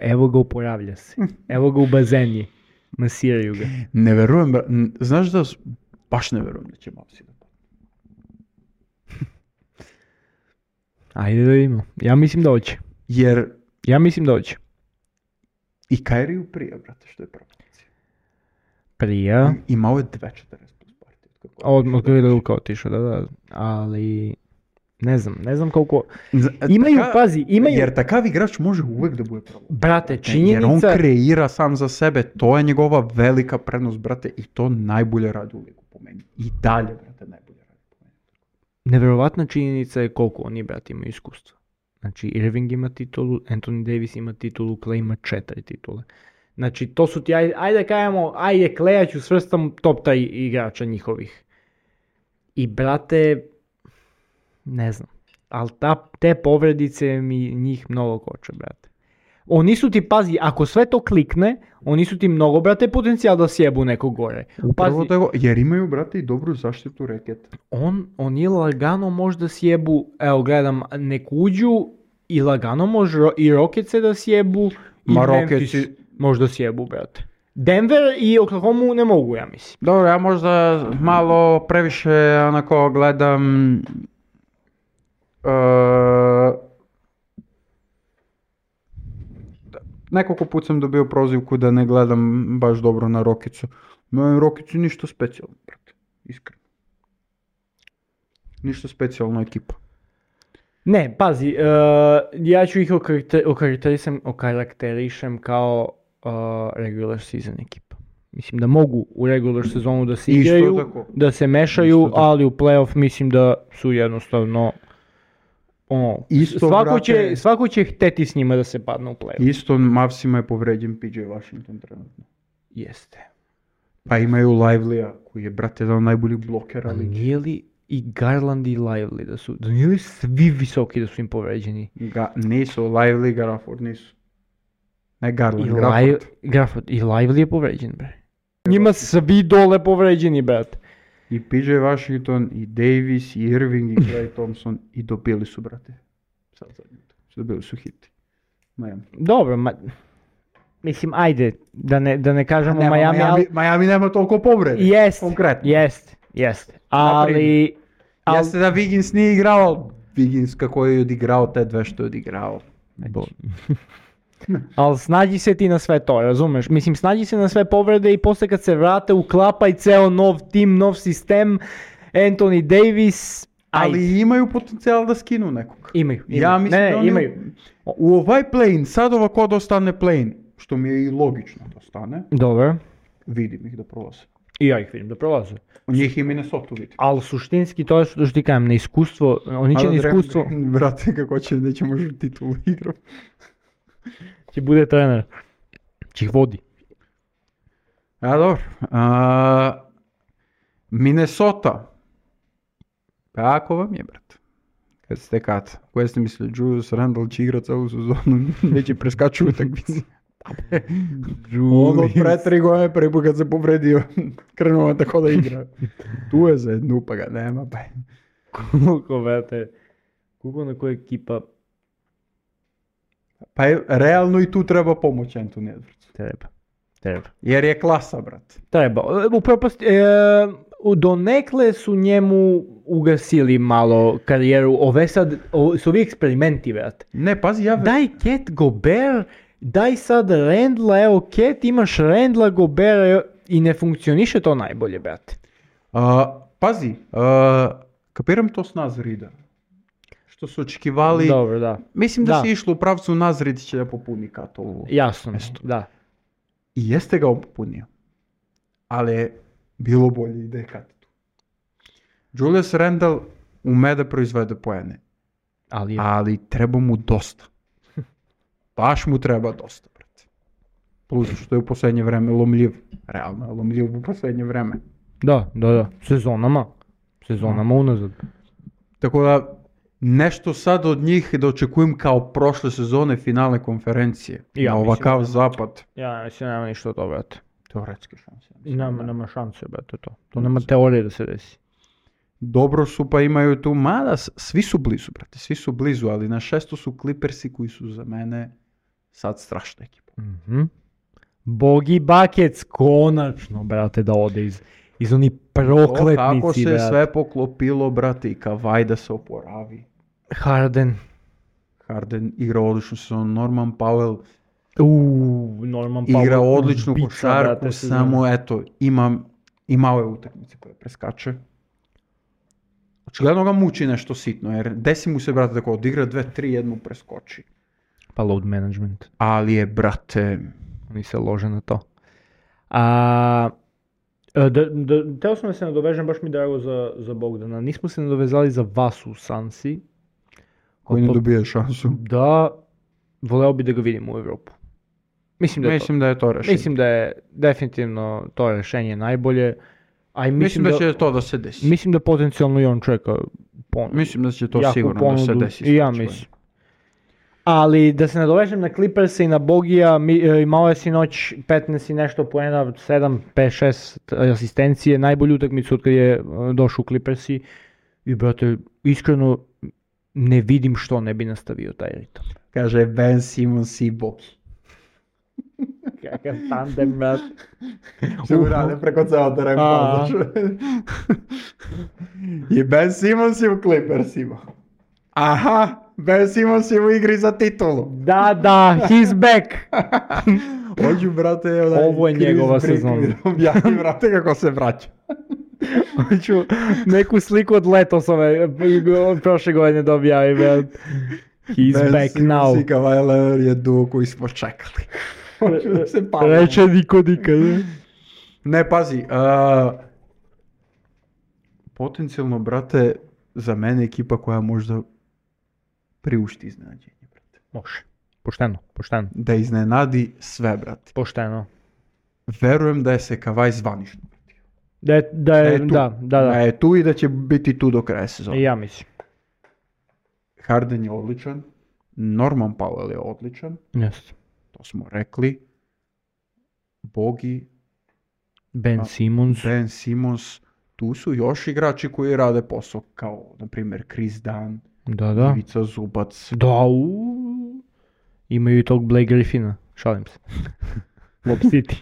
Evo ga oporavlja se. Evo ga u bazeni. Masiraju ga. Ne verujem, znaš da, baš ne verujem da će Mavsi da padne. Ajde da vidimo. Ja mislim da hoće. Jer i Kairiju prije, brate, što je promocija. Prija. Imao je 2.40 plus partije. Od kada je Luka otišao, da. Ali, ne znam koliko... Imaju... Jer takav igrač može uvek da bude pravo. Brate, Jer on činjenica... kreira sam za sebe, to je njegova velika prednost, brate, i to najbolje radi u ligu po meni. I dalje, brate, najbolje radi po meni. Nevjerovatna činjenica je koliko oni, brate, imaju iskustva. Znači, Irving ima titulu, Anthony Davis ima titulu, Klay ima 4 titule. Znači, to su ti, ajde kajemo, Klaya ću svrstam top 3 igrača njihovih. I, brate, ne znam, ali te povredice mi njih mnogo koče, brate. Oni su ti, pazi, ako sve to klikne, oni su ti mnogo, brate, potencijal da sjebu neko gore. Upravo tako, jer imaju, brate, i dobru zaštitu reketa. Oni lagano možda sjebu, evo gledam, neku uđu i lagano može i Rocketse da sjebu i Memphis možda sjebu, brate. Denver i Oklahoma ne mogu, ja mislim. Dobro, ja možda malo previše onako gledam nekoliko put sam dobio prozivku da ne gledam baš dobro na Rokicu. Rokicu ništa specijalno, brate, iskreno. Ništa specijalno ekipa. Ne, pazi, ja ću ih okarakterišem kao regular season ekipa. Mislim da mogu u regular sezonu da se igraju, da se mešaju, ali u playoff mislim da su jednostavno svako će hteti s njima da se padne u playoff. Isto Mavsima je povređen PJ Washington trenutno. Jeste. Pa imaju Lively-a koji je, brate, jedan od najboljih blokera. Ali nije li i Garland i Lively da nije li svi visoki da su im povređeni? Nisu, Lively i Gafford nisu. Ne Garland, Gafford. I Lively je povređen, bre. Njima svi dole povređeni, brate. I PJ Washington, i Davis, i Irving, i Klay Thompson, i dobili su, brate. Sad zadnje. Dobili su hiti. Miami. Dobro, mislim, ajde, da ne kažemo Miami nema toliko povrede. Jeste. Ali... Jeste da Wiggins nije igrao, Wiggins kako je odigrao te dve što je odigrao. Ali snađi se ti na sve to, razumeš? Mislim, snađi se na sve povrede i posle kad se vrate uklapa i ceo nov tim, nov sistem, Anthony Davis... Ali imaju potencijal da skinu nekog. Imaju. Ja mislim da oni imaju. U ovaj play-in, sad ovako da ostane play-in, što mi je i logično da ostane. Dobro. Vidim ih da prolaze. I ja ih vidim da prolaze. U njih i Minnesota vidim. Ali suštinski to je što ti kajem, na iskustvo, oni će na iskustvo... Brate, kako će, neće možda titulu igram. Će bude trener. Će ih vodi. A dobro. Minnesota. Pa ako vam je, brate. Kad ste kad? Koje ste mislili, Julius Randle će igrati celu sezonu, neće preskaču utakmice. Ono pre 3 godine prvi put kad se povredio, krenuo tako da igra. Tu je za jednu pa ga nema. Pa. Koliko, brate, koliko na koja ekipa... Pa realno i tu treba pomoć Anthony Edwardsu. Treba. Jer je klasa, brate. Treba. Donekle su njemu ugasili malo karijeru. Ove sad, su ovi eksperimenti, brate. Ne, pazi, daj Cat Gobert, daj sad Randla, evo Cat, imaš Randla, Gobert i ne funkcioniše to najbolje, brate. Pazi, kapiram to s Nazrida. Što su očekivali. Dobro, da. Mislim da si išlo u pravcu Nazrid će da popuni Katovu. Jasno, mesto. Da. I jeste ga popunio. Ali je bilo bolje ide Kat tu. Julius Randle ume da proizvede poene. Ali treba mu dosta. Baš mu treba dosta, brate. Plus što je u posljednje vreme lomljiv. Realno je lomljiv u posljednje vreme. Da. Sezonama. sezonama unazad. Tako da, nešto sad od njih da očekujem kao prošle sezone finalne konferencije. Ja na mislim ovakav da- zapad. Ja mislim nema ništa od toga, brate. Teoretske šanse. Nema šanse, brate, to. To nema teorije da se desi. Dobro su pa imaju tu, mada svi su blizu, brate, svi su blizu, ali na 6 su Clippersi koji su za mene sad strašna ekipa. Bogi Buckets, konačno, brate, da ode iz onih prokletnici, Kako se brate. sve poklopilo, brate, i Kawhi da se oporavi. Harden igra odličnu sezonu, Norman Powell Norman Powell. igra odličnu ubica, košarku, brate, sezone. samo eto, imao je utakmice koje preskače. Očigledno ga muči nešto sitno, jer desi mu se, brate, tako odigra 2-3, jednu preskoči. Pa load management. Ali je, brate, Oni se lože na to. Teo sam da se nadovežem, baš mi drago za Bogdana. Nismo se nadovezali za vas u Sansi. koji ne dobije šansu. Da, voleo bi da ga vidim u Evropu. Mislim da je to rešenje. Mislim da je definitivno to rešenje najbolje. A i Mislim da će to da se desi. Mislim da potencijalno i on čeka ponudu. Mislim da će to Jaku sigurno da se ponudu. desi. I ja sljedeće mislim. Ali da se nadovežem na Clippersa i na Bogija, imao je sinoć 15 i nešto poena, 7, 5, 6 asistencije, najbolju utakmicu od kad je došao u Clippersi. I brate, iskreno ne vidim što ne bi nastavio taj ritam. Kaže Ben Simmons i Bogi. Kakav tandem, brate. Što mu rade preko ceo teren. I Ben Simmons je u Clippersima. Aha, Ben Simmons je u igri za titulu. Da, he's back. Hoću, brate, Ovo je njegova sezona. Objasni, brate, kako se vraća. Hoću neku sliku od Letosove prošle godine da objavim, brate. He's Ben back Simmons now. i Kawhi Leonard je duo koji smo čekali. Hoću da se pavimo. Reče niko nikad. Ne, pazi, potencijalno, brate, za mene ekipa koja možda priušti iznenađenje, brate. Može. Pošteno. Da iznenadi sve, brate. Pošteno. Verujem da je se Kawhi zvanično. Da je tu. Da. Da je tu i da će biti tu do kraja sezona. I ja mislim. Harden je odličan, Norman Powell je odličan, Jeste. to smo rekli. Bogi, Ben Simmons. Ben Simmons, tu su još igrači koji rade posao, kao, na primjer, Chris Dunn, Da. Ivica Zubac. Da, imaju i tog Blake Griffina. Šalim se. Lob City.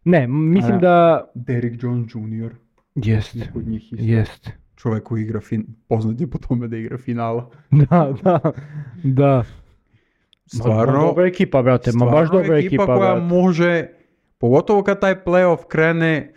Ne, mislim da... Derrick Jones Jr. Jeste. Kod njih isto. Jeste. Čovjek koji igra, poznat je po tome da igra finala. Da. Stvarno, Dobra ekipa, brate, baš dobra ekipa, koja brate. može, pogotovo kad taj playoff krene,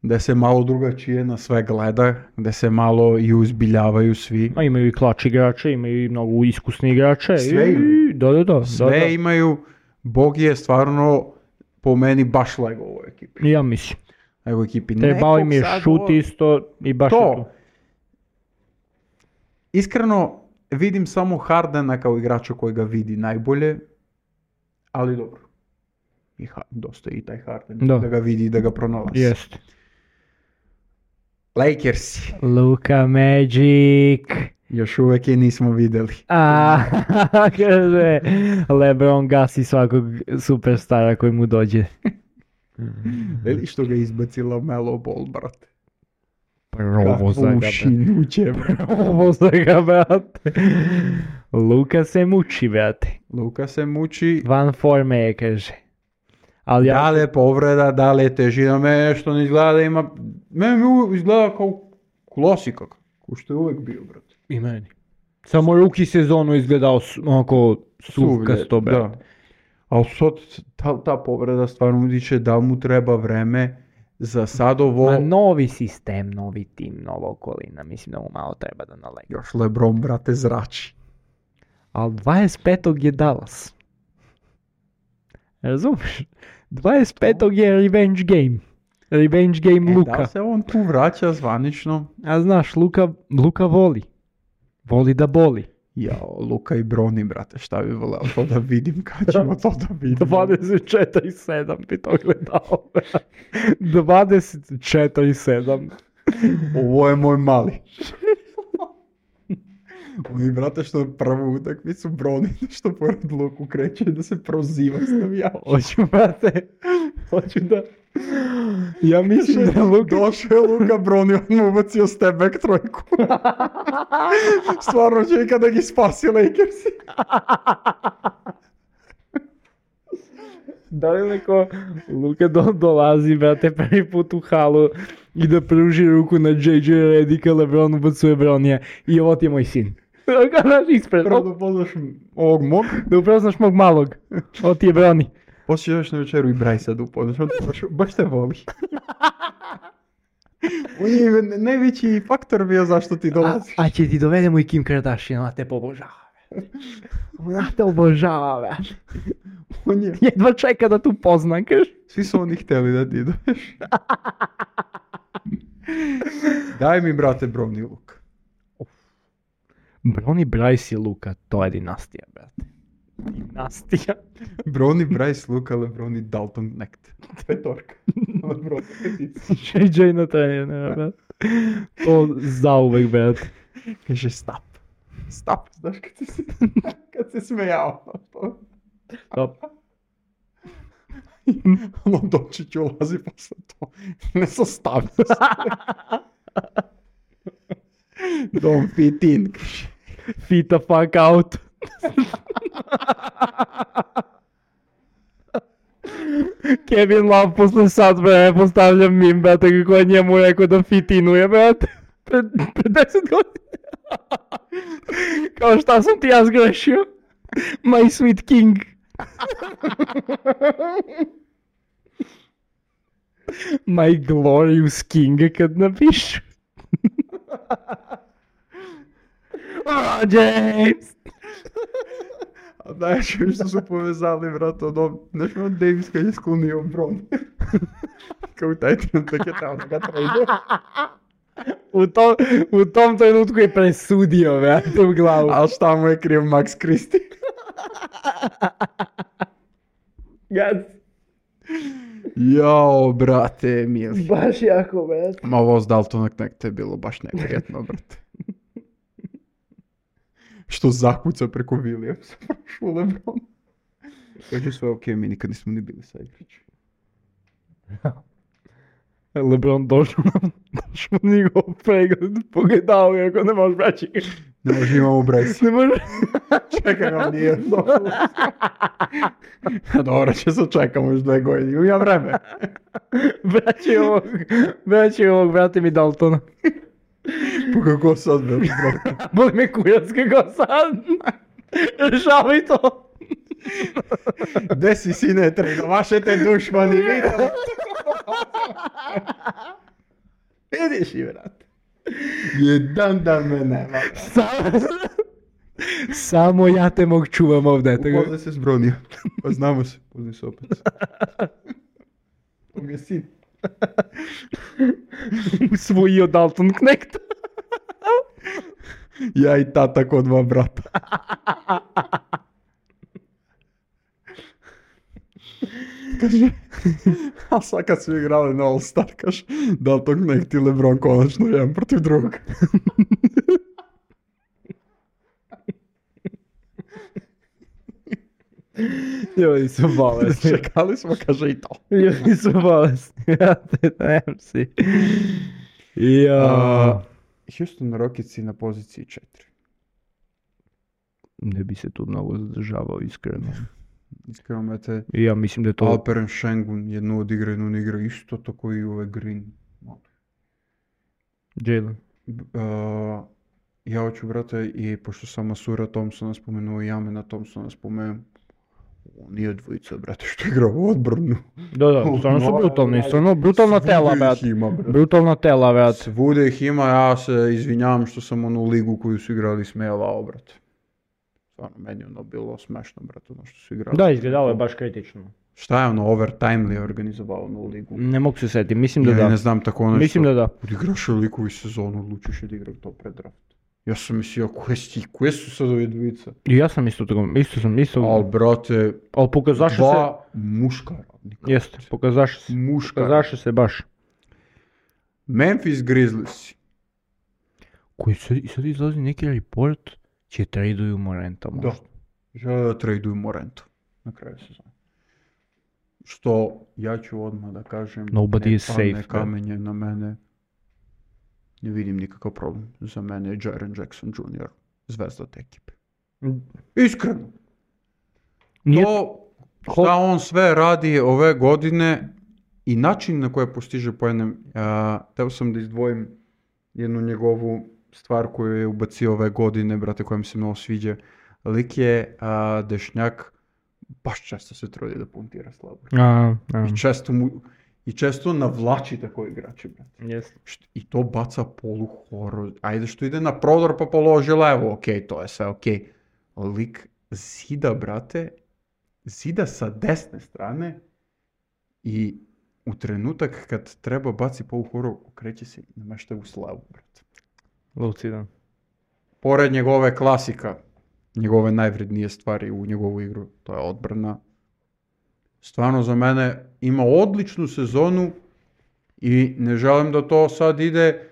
da se malo drugačije na sve gleda, da se malo i uzbiljavaju svi. A imaju i klač igrače, imaju i mnogo iskusni igrače. Sve imaju. Da. Sve imaju, Bogi je stvarno po meni baš lego u ovoj ekipi. Ja mislim. Nego ekipi. Trebao im je šut isto i baš je tu. To. Iskreno, vidim samo Hardena kao igrača koji ga vidi najbolje, ali dobro. Dosta i taj Harden, da ga vidi i da ga pronalazi. Jest. Lakersi. Luka Magic. Još uvijek je nismo vidjeli. Kaže, LeBron gasi svakog superstara koji mu dođe. Veli što ga izbacila Melo Ball, brate. Provoza ga, ušinuće, Provoza ga, brate. Luka se muči, brate. Luka se muči. Van forme je, kaže. Ali da li je povreda, da li je težina, me što ne izgleda da ima... Meni izgleda kao klasika, ko što je uvijek bio, brate. I meni. Samo ruki sezonu izgledao onako suvkasto, brate. Ali sad ta povreda stvarno utiče da mu treba vreme za sad ovo... Ma novi sistem, novi tim, nova okolina, mislim da mu malo treba da nalegi. Još LeBron, brate, zrači. Ali 25. je Dallas. Razumiješ? 25. je revenge game. Revenge game Luka. Da se on tu vraća zvanično? A znaš, Luka voli. Voli da boli. Jao, Luka i Broni, brate, šta bi voleo to da vidim, kad ćemo to da vidimo. 24-7 bi to gledao. 24-7. Ovo je moj mali. Oni, brate, što prvu utakmicu broni, što pored Luku kreće da se proziva s navijačima. Hoću, brate, hoću da... Ja mislim da Luka... Došao je Luka broni, on mu ubacio step back trojku. Stvarno će ikada gi spasi Lakersi. Da li neko Luka dolazi, brate, prvi put u halu i da pruži ruku na JJ Redika, LeBron ubacuje Bronija i ovo ti je moj sin. Kako naš ispred? Prvo da upoznaš ovog mog. Da upoznaš mog malog. Ovo ti je Broni. Poslije još na večeru i Bryce da upoznaš, on baš te voli. On je najveći faktor bio zašto ti dolaziš. A će ti dovedemo i Kim Kardashian, ona te obožava. Ona te obožava. On je... Jedva čeka da tu pozna, kaš. Svi su oni hteli da ti ideš. Daj mi, brate, Bron i Luka. Broni, Bryce i Luka, to je dinastija, brate. Dinastija. Broni, Bryce, Luka, LeBron i Dalton Knecht. Petorka. LeBron, JJ na trenera, brate. To zauvek, brate. kaže stop. Stop, znaš kad se smejao. Stop. Ono Dončić ulazi posle to. Ne sastavlja se. Don't fit in. Fit the fuck out. Kevin Love posle sat vremena postavlja mim, brate, kako je njemu rekao da fitinuje, brate. Pred 10 godina. Kao šta sam ti ja zgrešio? My sweet king. My glorious king, kad napišu. James! A znaš što su povezali, brate, znaš on Davis kad je sklonio Bron. Kao taj trenutak je tamo da ga trade. U tom trenutku je presudio, brate, u glavu. Ali šta mu je kriv Max Christie? Gad. Jao, brate, mili. Baš jako, brate. Ma ovo s Daltona Knecht je bilo baš neprijetno, brate. Što zakuca preko Williamsa, prošlo LeBron. Kaže sve okej, mi nikad nismo ni bili sa igrići. LeBron došao na njegov pregled, pogledao je ako ne možeš braći. Ne može, imamo Bryce. Ne može. Čekaj, on nije došlo. Dobro, će se čekamo još 2 godine, ima vreme. Braći ovog, brate mi Daltona. Pa kako sad, brate? Boli me kurac kako sad. Rešavaj to. Gde si, sine, trenovašete dušmani, vidite? Vidiš i, brate. Jedan dan me nema. Samo ja te mog čuvam ovdje. Upoznaj se s Bronijom. Pa znamo se, poznaj se opet. To mi je sin. Usvojio Dalton Knecht. Ja i tata kod 2 brata. Kaže, a sad kad su igrali na All Star, kaže, Dalton Knecht i LeBron konačno jedan protiv drugog. Ljudi su bolesni. Čekali smo, kaže i to. Ljudi su bolesni. Ja te dajem si. Houston Rocketsi na poziciji 4. Ne bi se tu mnogo zadržavao, iskreno. Iskreno, mete, Ja mislim da je to... Alperen Sengun jednu odigra, jednu ne igra, isto tako i ove Green. Jalen. Ja hoću, brate, i pošto sam Masura Thompsona spomenuo i Jamena Thompsona spomenuo, nije dvojica, brate, što igra u odbranu. Da, stvarno su brutalni, stvarno brutalna tela, brate. Brutalna tela, brate. Svude ih ima, ja se izvinjavam što sam onu ligu koju su igrali smijavao, brate. Stvarno, meni je ono bilo smešno, brate, ono što su igrali. Da, izgledalo je baš kritično. Šta je ono, Overtime li je organizovao onu ligu? Ne mogu se setiti, mislim da Ja da. ne znam tako ono Mislim da da. Odigraš ligu i sezonu, odlučiš da igra to pred draft. Ja sam mislio, koje su sad ove dvojica? I ja sam isto tako, isto. Al, brate, Ali pokazaše se... dva muška radnika. Jeste, pokazaše se. Muška. Pokazaše se baš. Memphis Grizzlies. Koji sad izlazi neki report, će traduju Morenta možda. Da. Žele da traduju Morenta na kraju sezone. Što ja ću odmah da kažem, Nobody ne is padne safe, kamenje na mene. Ne vidim nikakav problem. Za mene je Jaren Jackson Jr. zvezda te ekipe. Iskreno. Nije- To šta on sve radi ove godine i način na koji postiže poene. Teo sam da izdvojim jednu njegovu stvar koju je ubacio ove godine, brate, koja mi se mnogo sviđa. Lik je dešnjak, baš često se trudi da puntira slabo. I često navlači tako igrače, brate. Yes. I to baca polu horor. Ajde što ide na prodor pa položi levo, okej, to je sve okej. Lik zida, brate, zida sa desne strane i u trenutak kad treba baci polu horor, okreće se i namešta u slavu, brate. Lucidan. Pored njegove klasika, njegove najvrednije stvari u njegovu igru, to je odbrana. Stvarno za mene ima odličnu sezonu i ne želim da to sad ide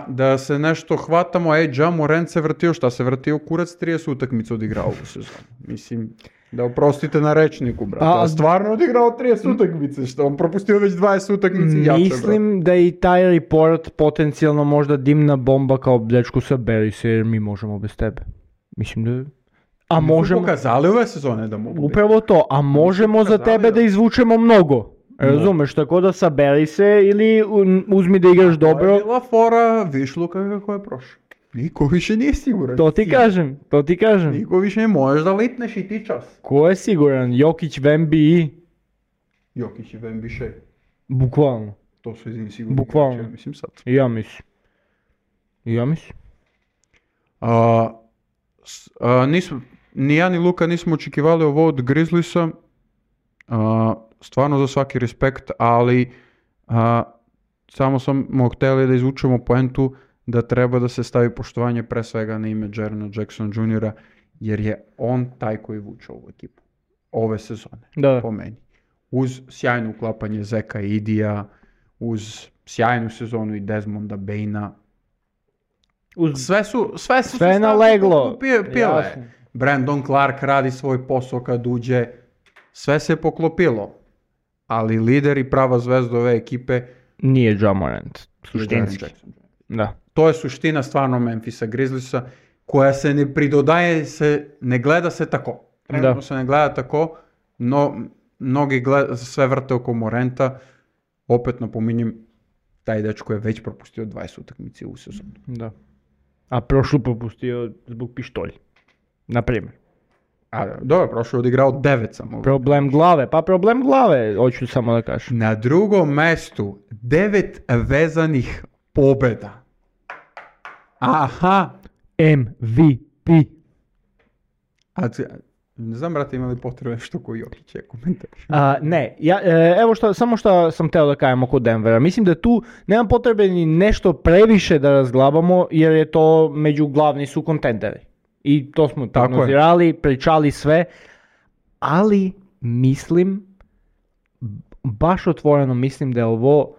da se nešto hvatamo, Ja Morant se vrtio, šta se vrtio, kurac 30 utakmica odigrao ovu sezonu. Mislim, da oprostite na rečniku, brate. A stvarno odigrao 30 utakmice, što on propustio već 20 utakmice jače, Mislim da i taj report potencijalno možda dimna bomba kao dečku saberi se jer mi možemo bez tebe. Mislim da... A možemo... pokazali ove sezone da mogu. Upravo to, a možemo za tebe da izvučemo mnogo. Razumeš, tako da saberi se ili uzmi da igraš dobro. To je bila fora Višluka kako je prošao. Niko više nije siguran. To ti kažem. Niko više ne možeš da litneš i ti čas. Ko je siguran? Jokić, Wemby i... Jokić i Wemby še. Bukvalno. To su jedini sigurni. Bukvalno. Ja mislim sad. I ja mislim. Ni ja ni Luka nismo očekivali ovo od Grizzliesa. Stvarno za svaki respekt, ali samo smo htjeli da izvučemo poentu da treba da se stavi poštovanje pre svega na ime Jarena Jackson Jr. jer je on taj koji vuče ovu ekipu ove sezone, po meni. Uz sjajno uklapanje Zeka i Idija, uz sjajnu sezonu i Desmonda Baina. Sve je naleglo. Brandon Clark radi svoj posao kad uđe. Sve se poklopilo. Ali lider i prava zvezda ove ekipe nije Ja Morant. Suštinski. Da. To je suština stvarno Memphisa Grizzliesa koja se ne pridodaje, ne gleda se tako. Trenutno se ne gleda tako, no mnogi sve vrte oko Moranta. Opet napominjem, taj dečko je već propustio 20 utakmice u sezonu. Da. A prošlu propustio zbog pištolja. Naprimjer. Dobro, prošlo je odigrao 9 samo. Problem glave, hoću samo da kažem. Na drugom mestu 9 vezanih pobjeda. Aha. MVP. Ne znam, brate, imali potrebe nešto koji Jokić je komentar. Ne, evo samo što sam teo da kajem oko Denvera. Mislim da tu nemam potrebe ni nešto previše da razglabamo jer je to među glavni su kontenderi. I to smo prognozirali, pričali sve, ali mislim, baš otvoreno mislim da je ovo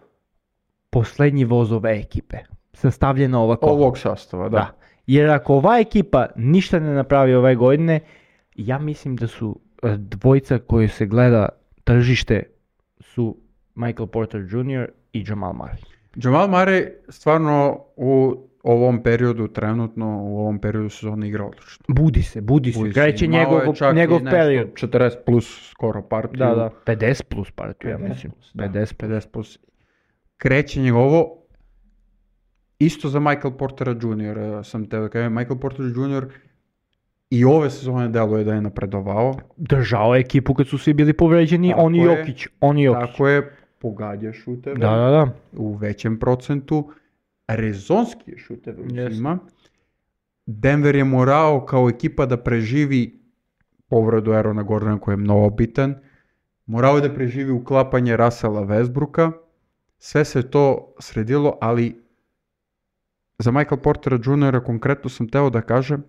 posljednji voz ove ekipe, sastavljena ovako. Ovog sastava, da. Jer ako ova ekipa ništa ne napravi ove godine, ja mislim da su dvojica koji se gleda tržište su Michael Porter Jr. i Jamal Murray. Jamal Murray stvarno u ovom periodu, trenutno u ovom periodu sezone igra odlično. Budi se, kreće njegov period. 40 plus skoro partiju. Da, 50 plus partiju, ja mislim. 50 plus. Kreće njegovo, isto za Michael Portera Jr. sam te da kažem, Michael Porter Jr. i ove sezone deluje da je napredovao. Držao je ekipu kad su svi bili povređeni, on i Jokić. Tako je, pogađa šuteve u većem procentu. Rezonski je šuteve uzima. Denver je morao kao ekipa da preživi povredu Aarona Gordona koji je mnogo bitan. Morao je da preživi uklapanje Russella Westbrooka. Sve se to sredilo, ali za Michael Portera Jr. konkretno sam teo da kažem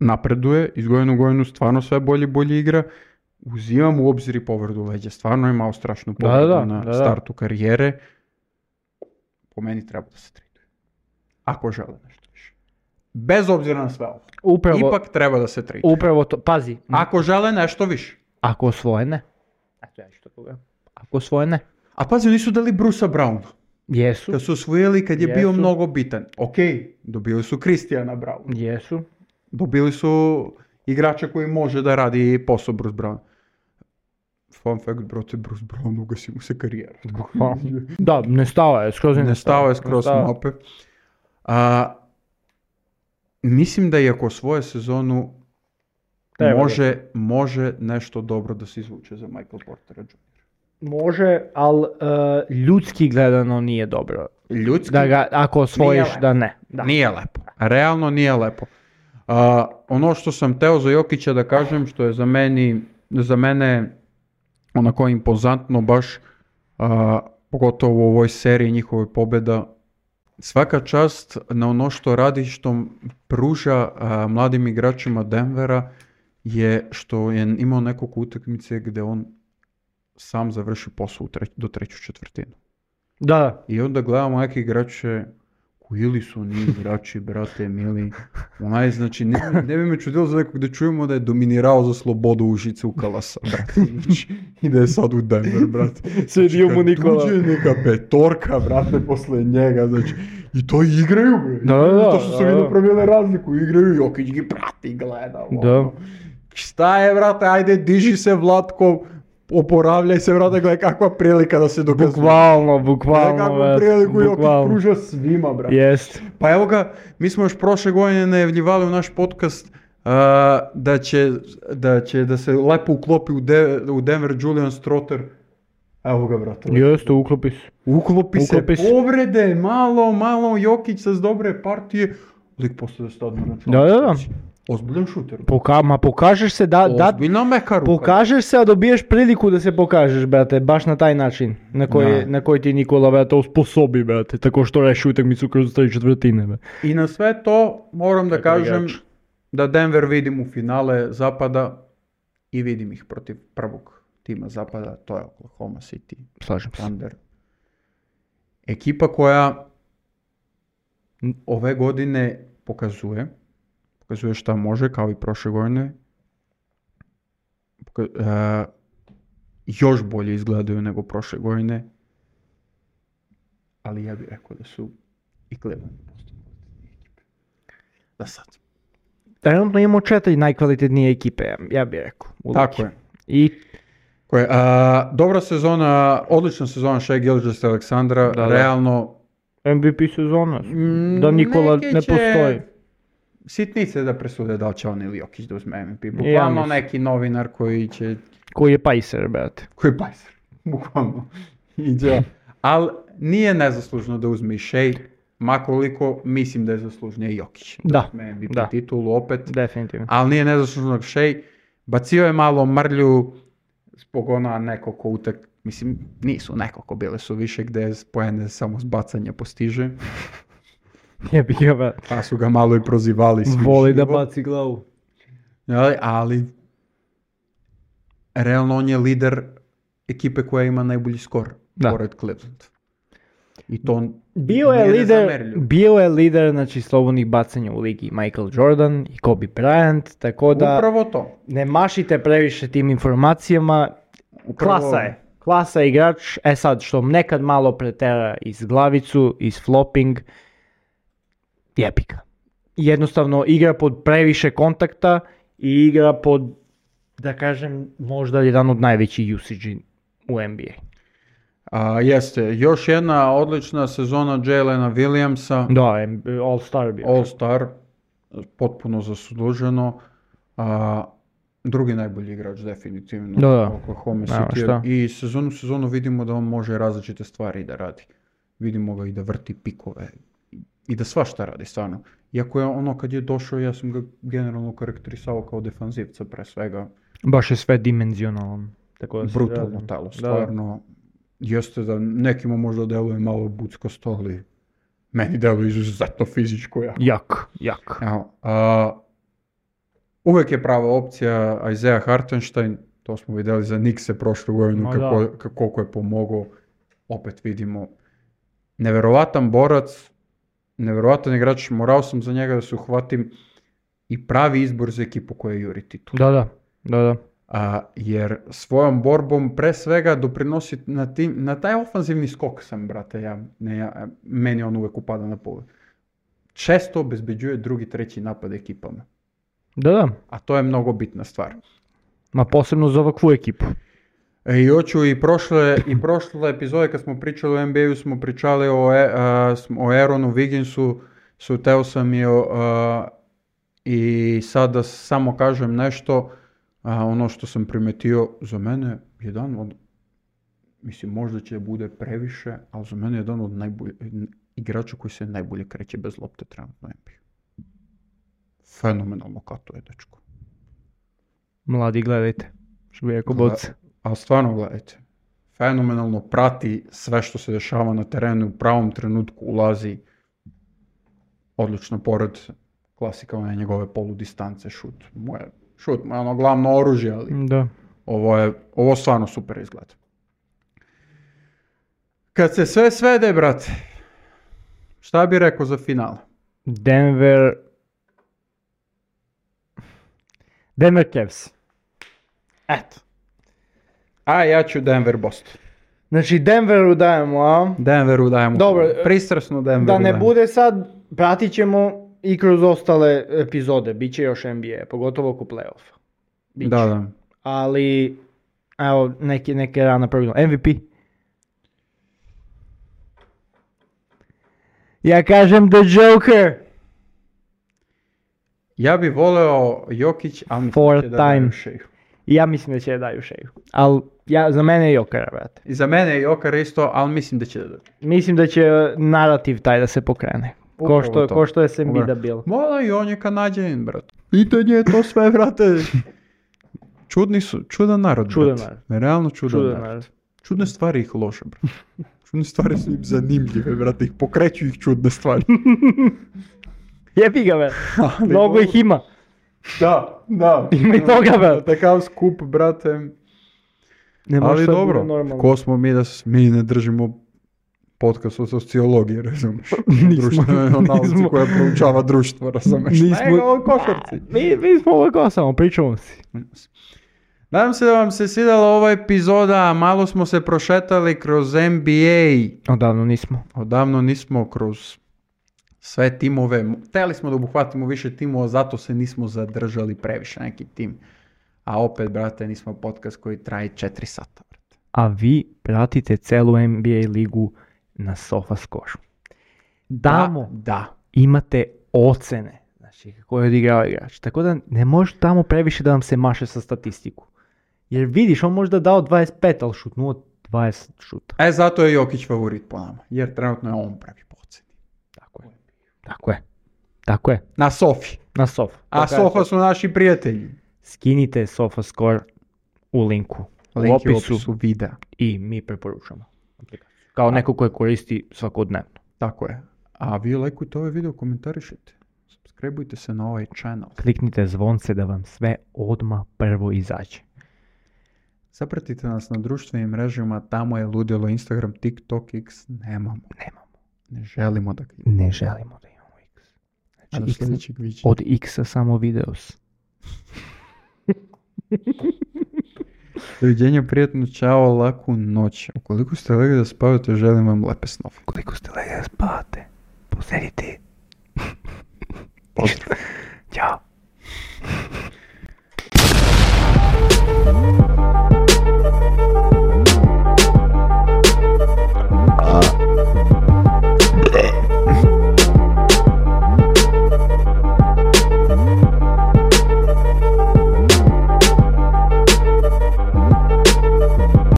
napreduje, iz godine u godinu stvarno sve bolje igra. Uzimam u obzir i povredu leđa. Stvarno je imao strašnu povredu na startu karijere. po meni treba da se traduje. Ako žele nešto više. Bez obzira na sve ovo. Upravo, Ipak treba da se traduje. upravo to, pazi, Ako žele nešto više. ako osvoje ne. Eto ja ću tako gledam. Ako osvoje ne. A pazi, nisu dali Brusa Browna. Jesu, Kad su osvojili, kad je bio Jesu. mnogo bitan. Ok, dobili su Christiana Browna. jesu. Dobili su igrača koji može da radi posao Bruce Brown. Fun fact, brate, Bruce Brown ugasi mu se karijera. Da, nestao je, skroz je Nestao je skroz s mape. Mislim da iako svoje sezonu Treba može nešto dobro da se izvuče za Michael Portera Jr. Može, ali ljudski gledano nije dobro. Ljudski Da ga, ako osvojiš, lepo. da ne. Da. nije lepo. Realno nije lepo. Ono što sam teo za Jokića da kažem, što je za mene onako impozantno baš, pogotovo u ovoj seriji njihove pobjeda, svaka čast na ono što radi, što pruža mladim igračima Denvera, je što je imao nekoliko utakmice gdje on sam završi posao do treću četvrtinu. Da, I onda gledamo neke igrače ili su oni igrači, brate, mili. Znači, ne bi me čudilo za nekog da čujemo da je dominirao za slobodu Užice u Kalasa, brate. Znači, i da je sad u Denver, brate. Svedio mu Nikola. Tuđe neka petorka, brate, posle njega, znači. I to igraju, bre. Da. To što su vidio promijenili razliku, igraju, Jokić gi prati i gleda. Da. Šta je, brate, ajde, diži se, Vlatko, oporavljaj se, brate, gledaj kakva prilika da se dokazuje. Bukvalno, Gledaj kakvu priliku Jokić bukvalno. pruža svima, brate. Jest. Pa evo ga, mi smo još prošle godine najavljivali u naš podcast da se lepo uklopi u Denver Julian Strother. Evo ga, brate. Jeste, uklopi se. Uklopi se, Uklopi se. povrede, malo Jokić sa dobre partije. Lik postoje stadno na članku. Da. Ozbiljan šuter. Pokažeš se da Ozbiljna meka ruka. pokažeš se, a dobiješ priliku da se pokažeš, brate, baš na taj način na koji ti Nikola, brate, osposobi, brate, tako što reši utakmicu kroz 3/4, brate. I na sve to moram da Kako kažem igrač. da Denver vidim u finale Zapada i vidim ih protiv prvog tima Zapada, to je Oklahoma City Slažem se. Thunder. Ekipa koja ove godine pokazuje šta može, kao i prošle godine. Još bolje izgledaju nego prošle godine. Ali ja bih rekao da su i Cleveland ekipe. Da sad. Trenutno imamo 4 najkvalitetnije ekipe, ja bih rekao. u Tako ligi. je. I Dobra sezona, odlična sezona Shai Gilgeous-Alexandra, Da. realno MVP sezona, da Nikola neki ne će postoji. sitnice da presude da li će on ili Jokić da uzme MVP. Ja Bukvalno mislim. neki novinar koji Koji je pajser, brate. je bajser, bukvalno. Ali nije nezaslužno da uzme i Shai, makoliko mislim da je zaslužnije Jokić. Da, uzme MVP da. titulu opet, Definitivno. ali nije nezaslužno Shai. Bacio je malo mrlju zbog nekoliko mislim, nisu nekoliko, bile su više gdje poene samo s bacanja postiže, Jebi ga, brate. pa su ga malo i prozivali. svi Voli da živo. baci glavu. Ali realno on je lider ekipe koja ima najbolji skor, Da. pored Cleveland. I to Bio je lider, znači, slobodnih bacanja u ligi Michael Jordan i Kobe Bryant, tako da Upravo to. ne mašite previše tim informacijama. Klasa je igrač, sad što nekad malo pretera iz glavicu, iz flopping, jebi ga. Jednostavno igra pod previše kontakta i igra pod, da kažem, možda jedan od najvećih usage u NBA. Jeste, još jedna odlična sezona Jalena Williamsa, Da, All-Star bio. All-Star, potpuno zasluženo. Drugi najbolji igrač definitivno Da. Oklahoma Nema City. šta. I sezonu vidimo da on može različite stvari da radi. Vidimo ga i da vrti pikove i da svašta radi stvarno. Iako je ono kad je došao, ja sam ga generalno karakterisao kao defanzivca pre svega. Baš je sve dimenzionalan. Tako da se Brutalno razum. telo, Da. stvarno. Jeste da nekima možda deluje malo buckasto, ali meni deluje izuzetno fizičko jako. Jak. Evo, uvek je prava opcija Isaiah Hartenstein, to smo vidjeli za Knickse prošlu godinu, Ma da. koliko je pomogao, opet vidimo Neverovatan borac, neverovatan igrač, morao sam za njega da se uhvatim i pravi izbor za ekipu koja juri titul. Da. Jer svojom borbom pre svega doprinosi na taj ofanzivni skok sam, brate, meni on uvek upada na pogled. Često obezbeđuje drugi, treći napad ekipama. Da. A to je mnogo bitna stvar. Ma posebno za ovakvu ekipu. I hoću i prošle epizode kad smo pričali o NBA-u smo pričali o Aaronu Wigginsu, teo sam i sad da samo kažem nešto, ono što sam primetio, za mene jedan od, mislim možda će bude previše, ali za mene je jedan od najboljih igrača koji se najbolje kreće bez lopte trenutno NBA. Fenomenalno katuje, dečko. Mladi, gledajte, što bi rekao Boc. Ali stvarno gledajte, fenomenalno prati sve što se dešava na terenu, u pravom trenutku ulazi, odlično, pored klasika one njegove poludistance, šut mu je ono glavno oružje, ali da. Ovo stvarno super izgleda. Kad se sve svede, brate, šta bi rekao za finale? Denver Cavs. Eto. A ja ću Denver Boston. Znači Denveru dajemo, a? Denveru dajemo. Dobro, pristrasno Denveru da ne dajemo. bude sad, pratit ćemo i kroz ostale epizode, bit će još NBA, pogotovo oko play-offa. Da. Ali, evo, neke rana progledamo. MVP. Ja kažem The Joker. Ja bi voleo Jokić, ali mislim će da daju Sheu. Ja mislim da će da daju Sheu. Ali za mene je Joker, brate. I za mene je Joker isto, ali mislim da će da daju. Mislim da će narativ taj da se pokrene. Ko što je se Embiida bilo. Mola i on je Kanadjanin, brate. Pitanje je to sve, brate. Čudan narod, brate. Realno čudan narod. Čudne stvari ih loše, brate. Čudne stvari su im zanimljive, brate. Ih pokreću ih čudne stvari. Jebi ga, brate. Mnogo ih ima. Da. Ima i toga, brate. Takav skup, brate. Ali dobro, ko smo mi da mi ne držimo podcast o sociologiji, razumiješ? Društvenoj nauci koja proučava društvo, razumiješ? Nismo o košarci. Mi smo ovako samo, pričamo si. Nadam se da vam se svidjela ova epizoda, malo smo se prošetali kroz NBA. Odavno nismo kroz sve timove. Htjeli smo da obuhvatimo više timova, zato se nismo zadržali previše neki tim. A opet, brate, nismo podcast koji traje 4 sata. Brate. A vi pratite celu NBA ligu na SofaScore. Tamo imate ocene, znači kako je odigrao igrač. Tako da ne može tamo previše da vam se maše sa statistiku. Jer vidiš, on možda dao 25, ali šutnuo 20 šuta. Zato je Jokić favorit po nama, jer trenutno je on pravi po oceni. Tako je. Na Sofi. A Sofa su naši prijatelji. Skinite SofaScore u linku. U opisu videa. I mi preporučamo. Kao neko koje koristi svakodnevno. Tako je. A vi lajkujte ovaj video, komentarišite. Subscribeujte se na ovaj channel. Kliknite zvonce da vam sve odmah prvo izađe. Zapratite nas na društvenim mrežama, tamo je ludilo Instagram, TikTok, X, nemamo. Ne želimo da imamo X. Znači, X, od X-a samo videos. Doviđenja, prijatno, čao, laku noć. Ukoliko ste legli da spavate, želim vam lepe snove. Ukoliko ste legli da spavate, posedite. Pozdrav. Ćao.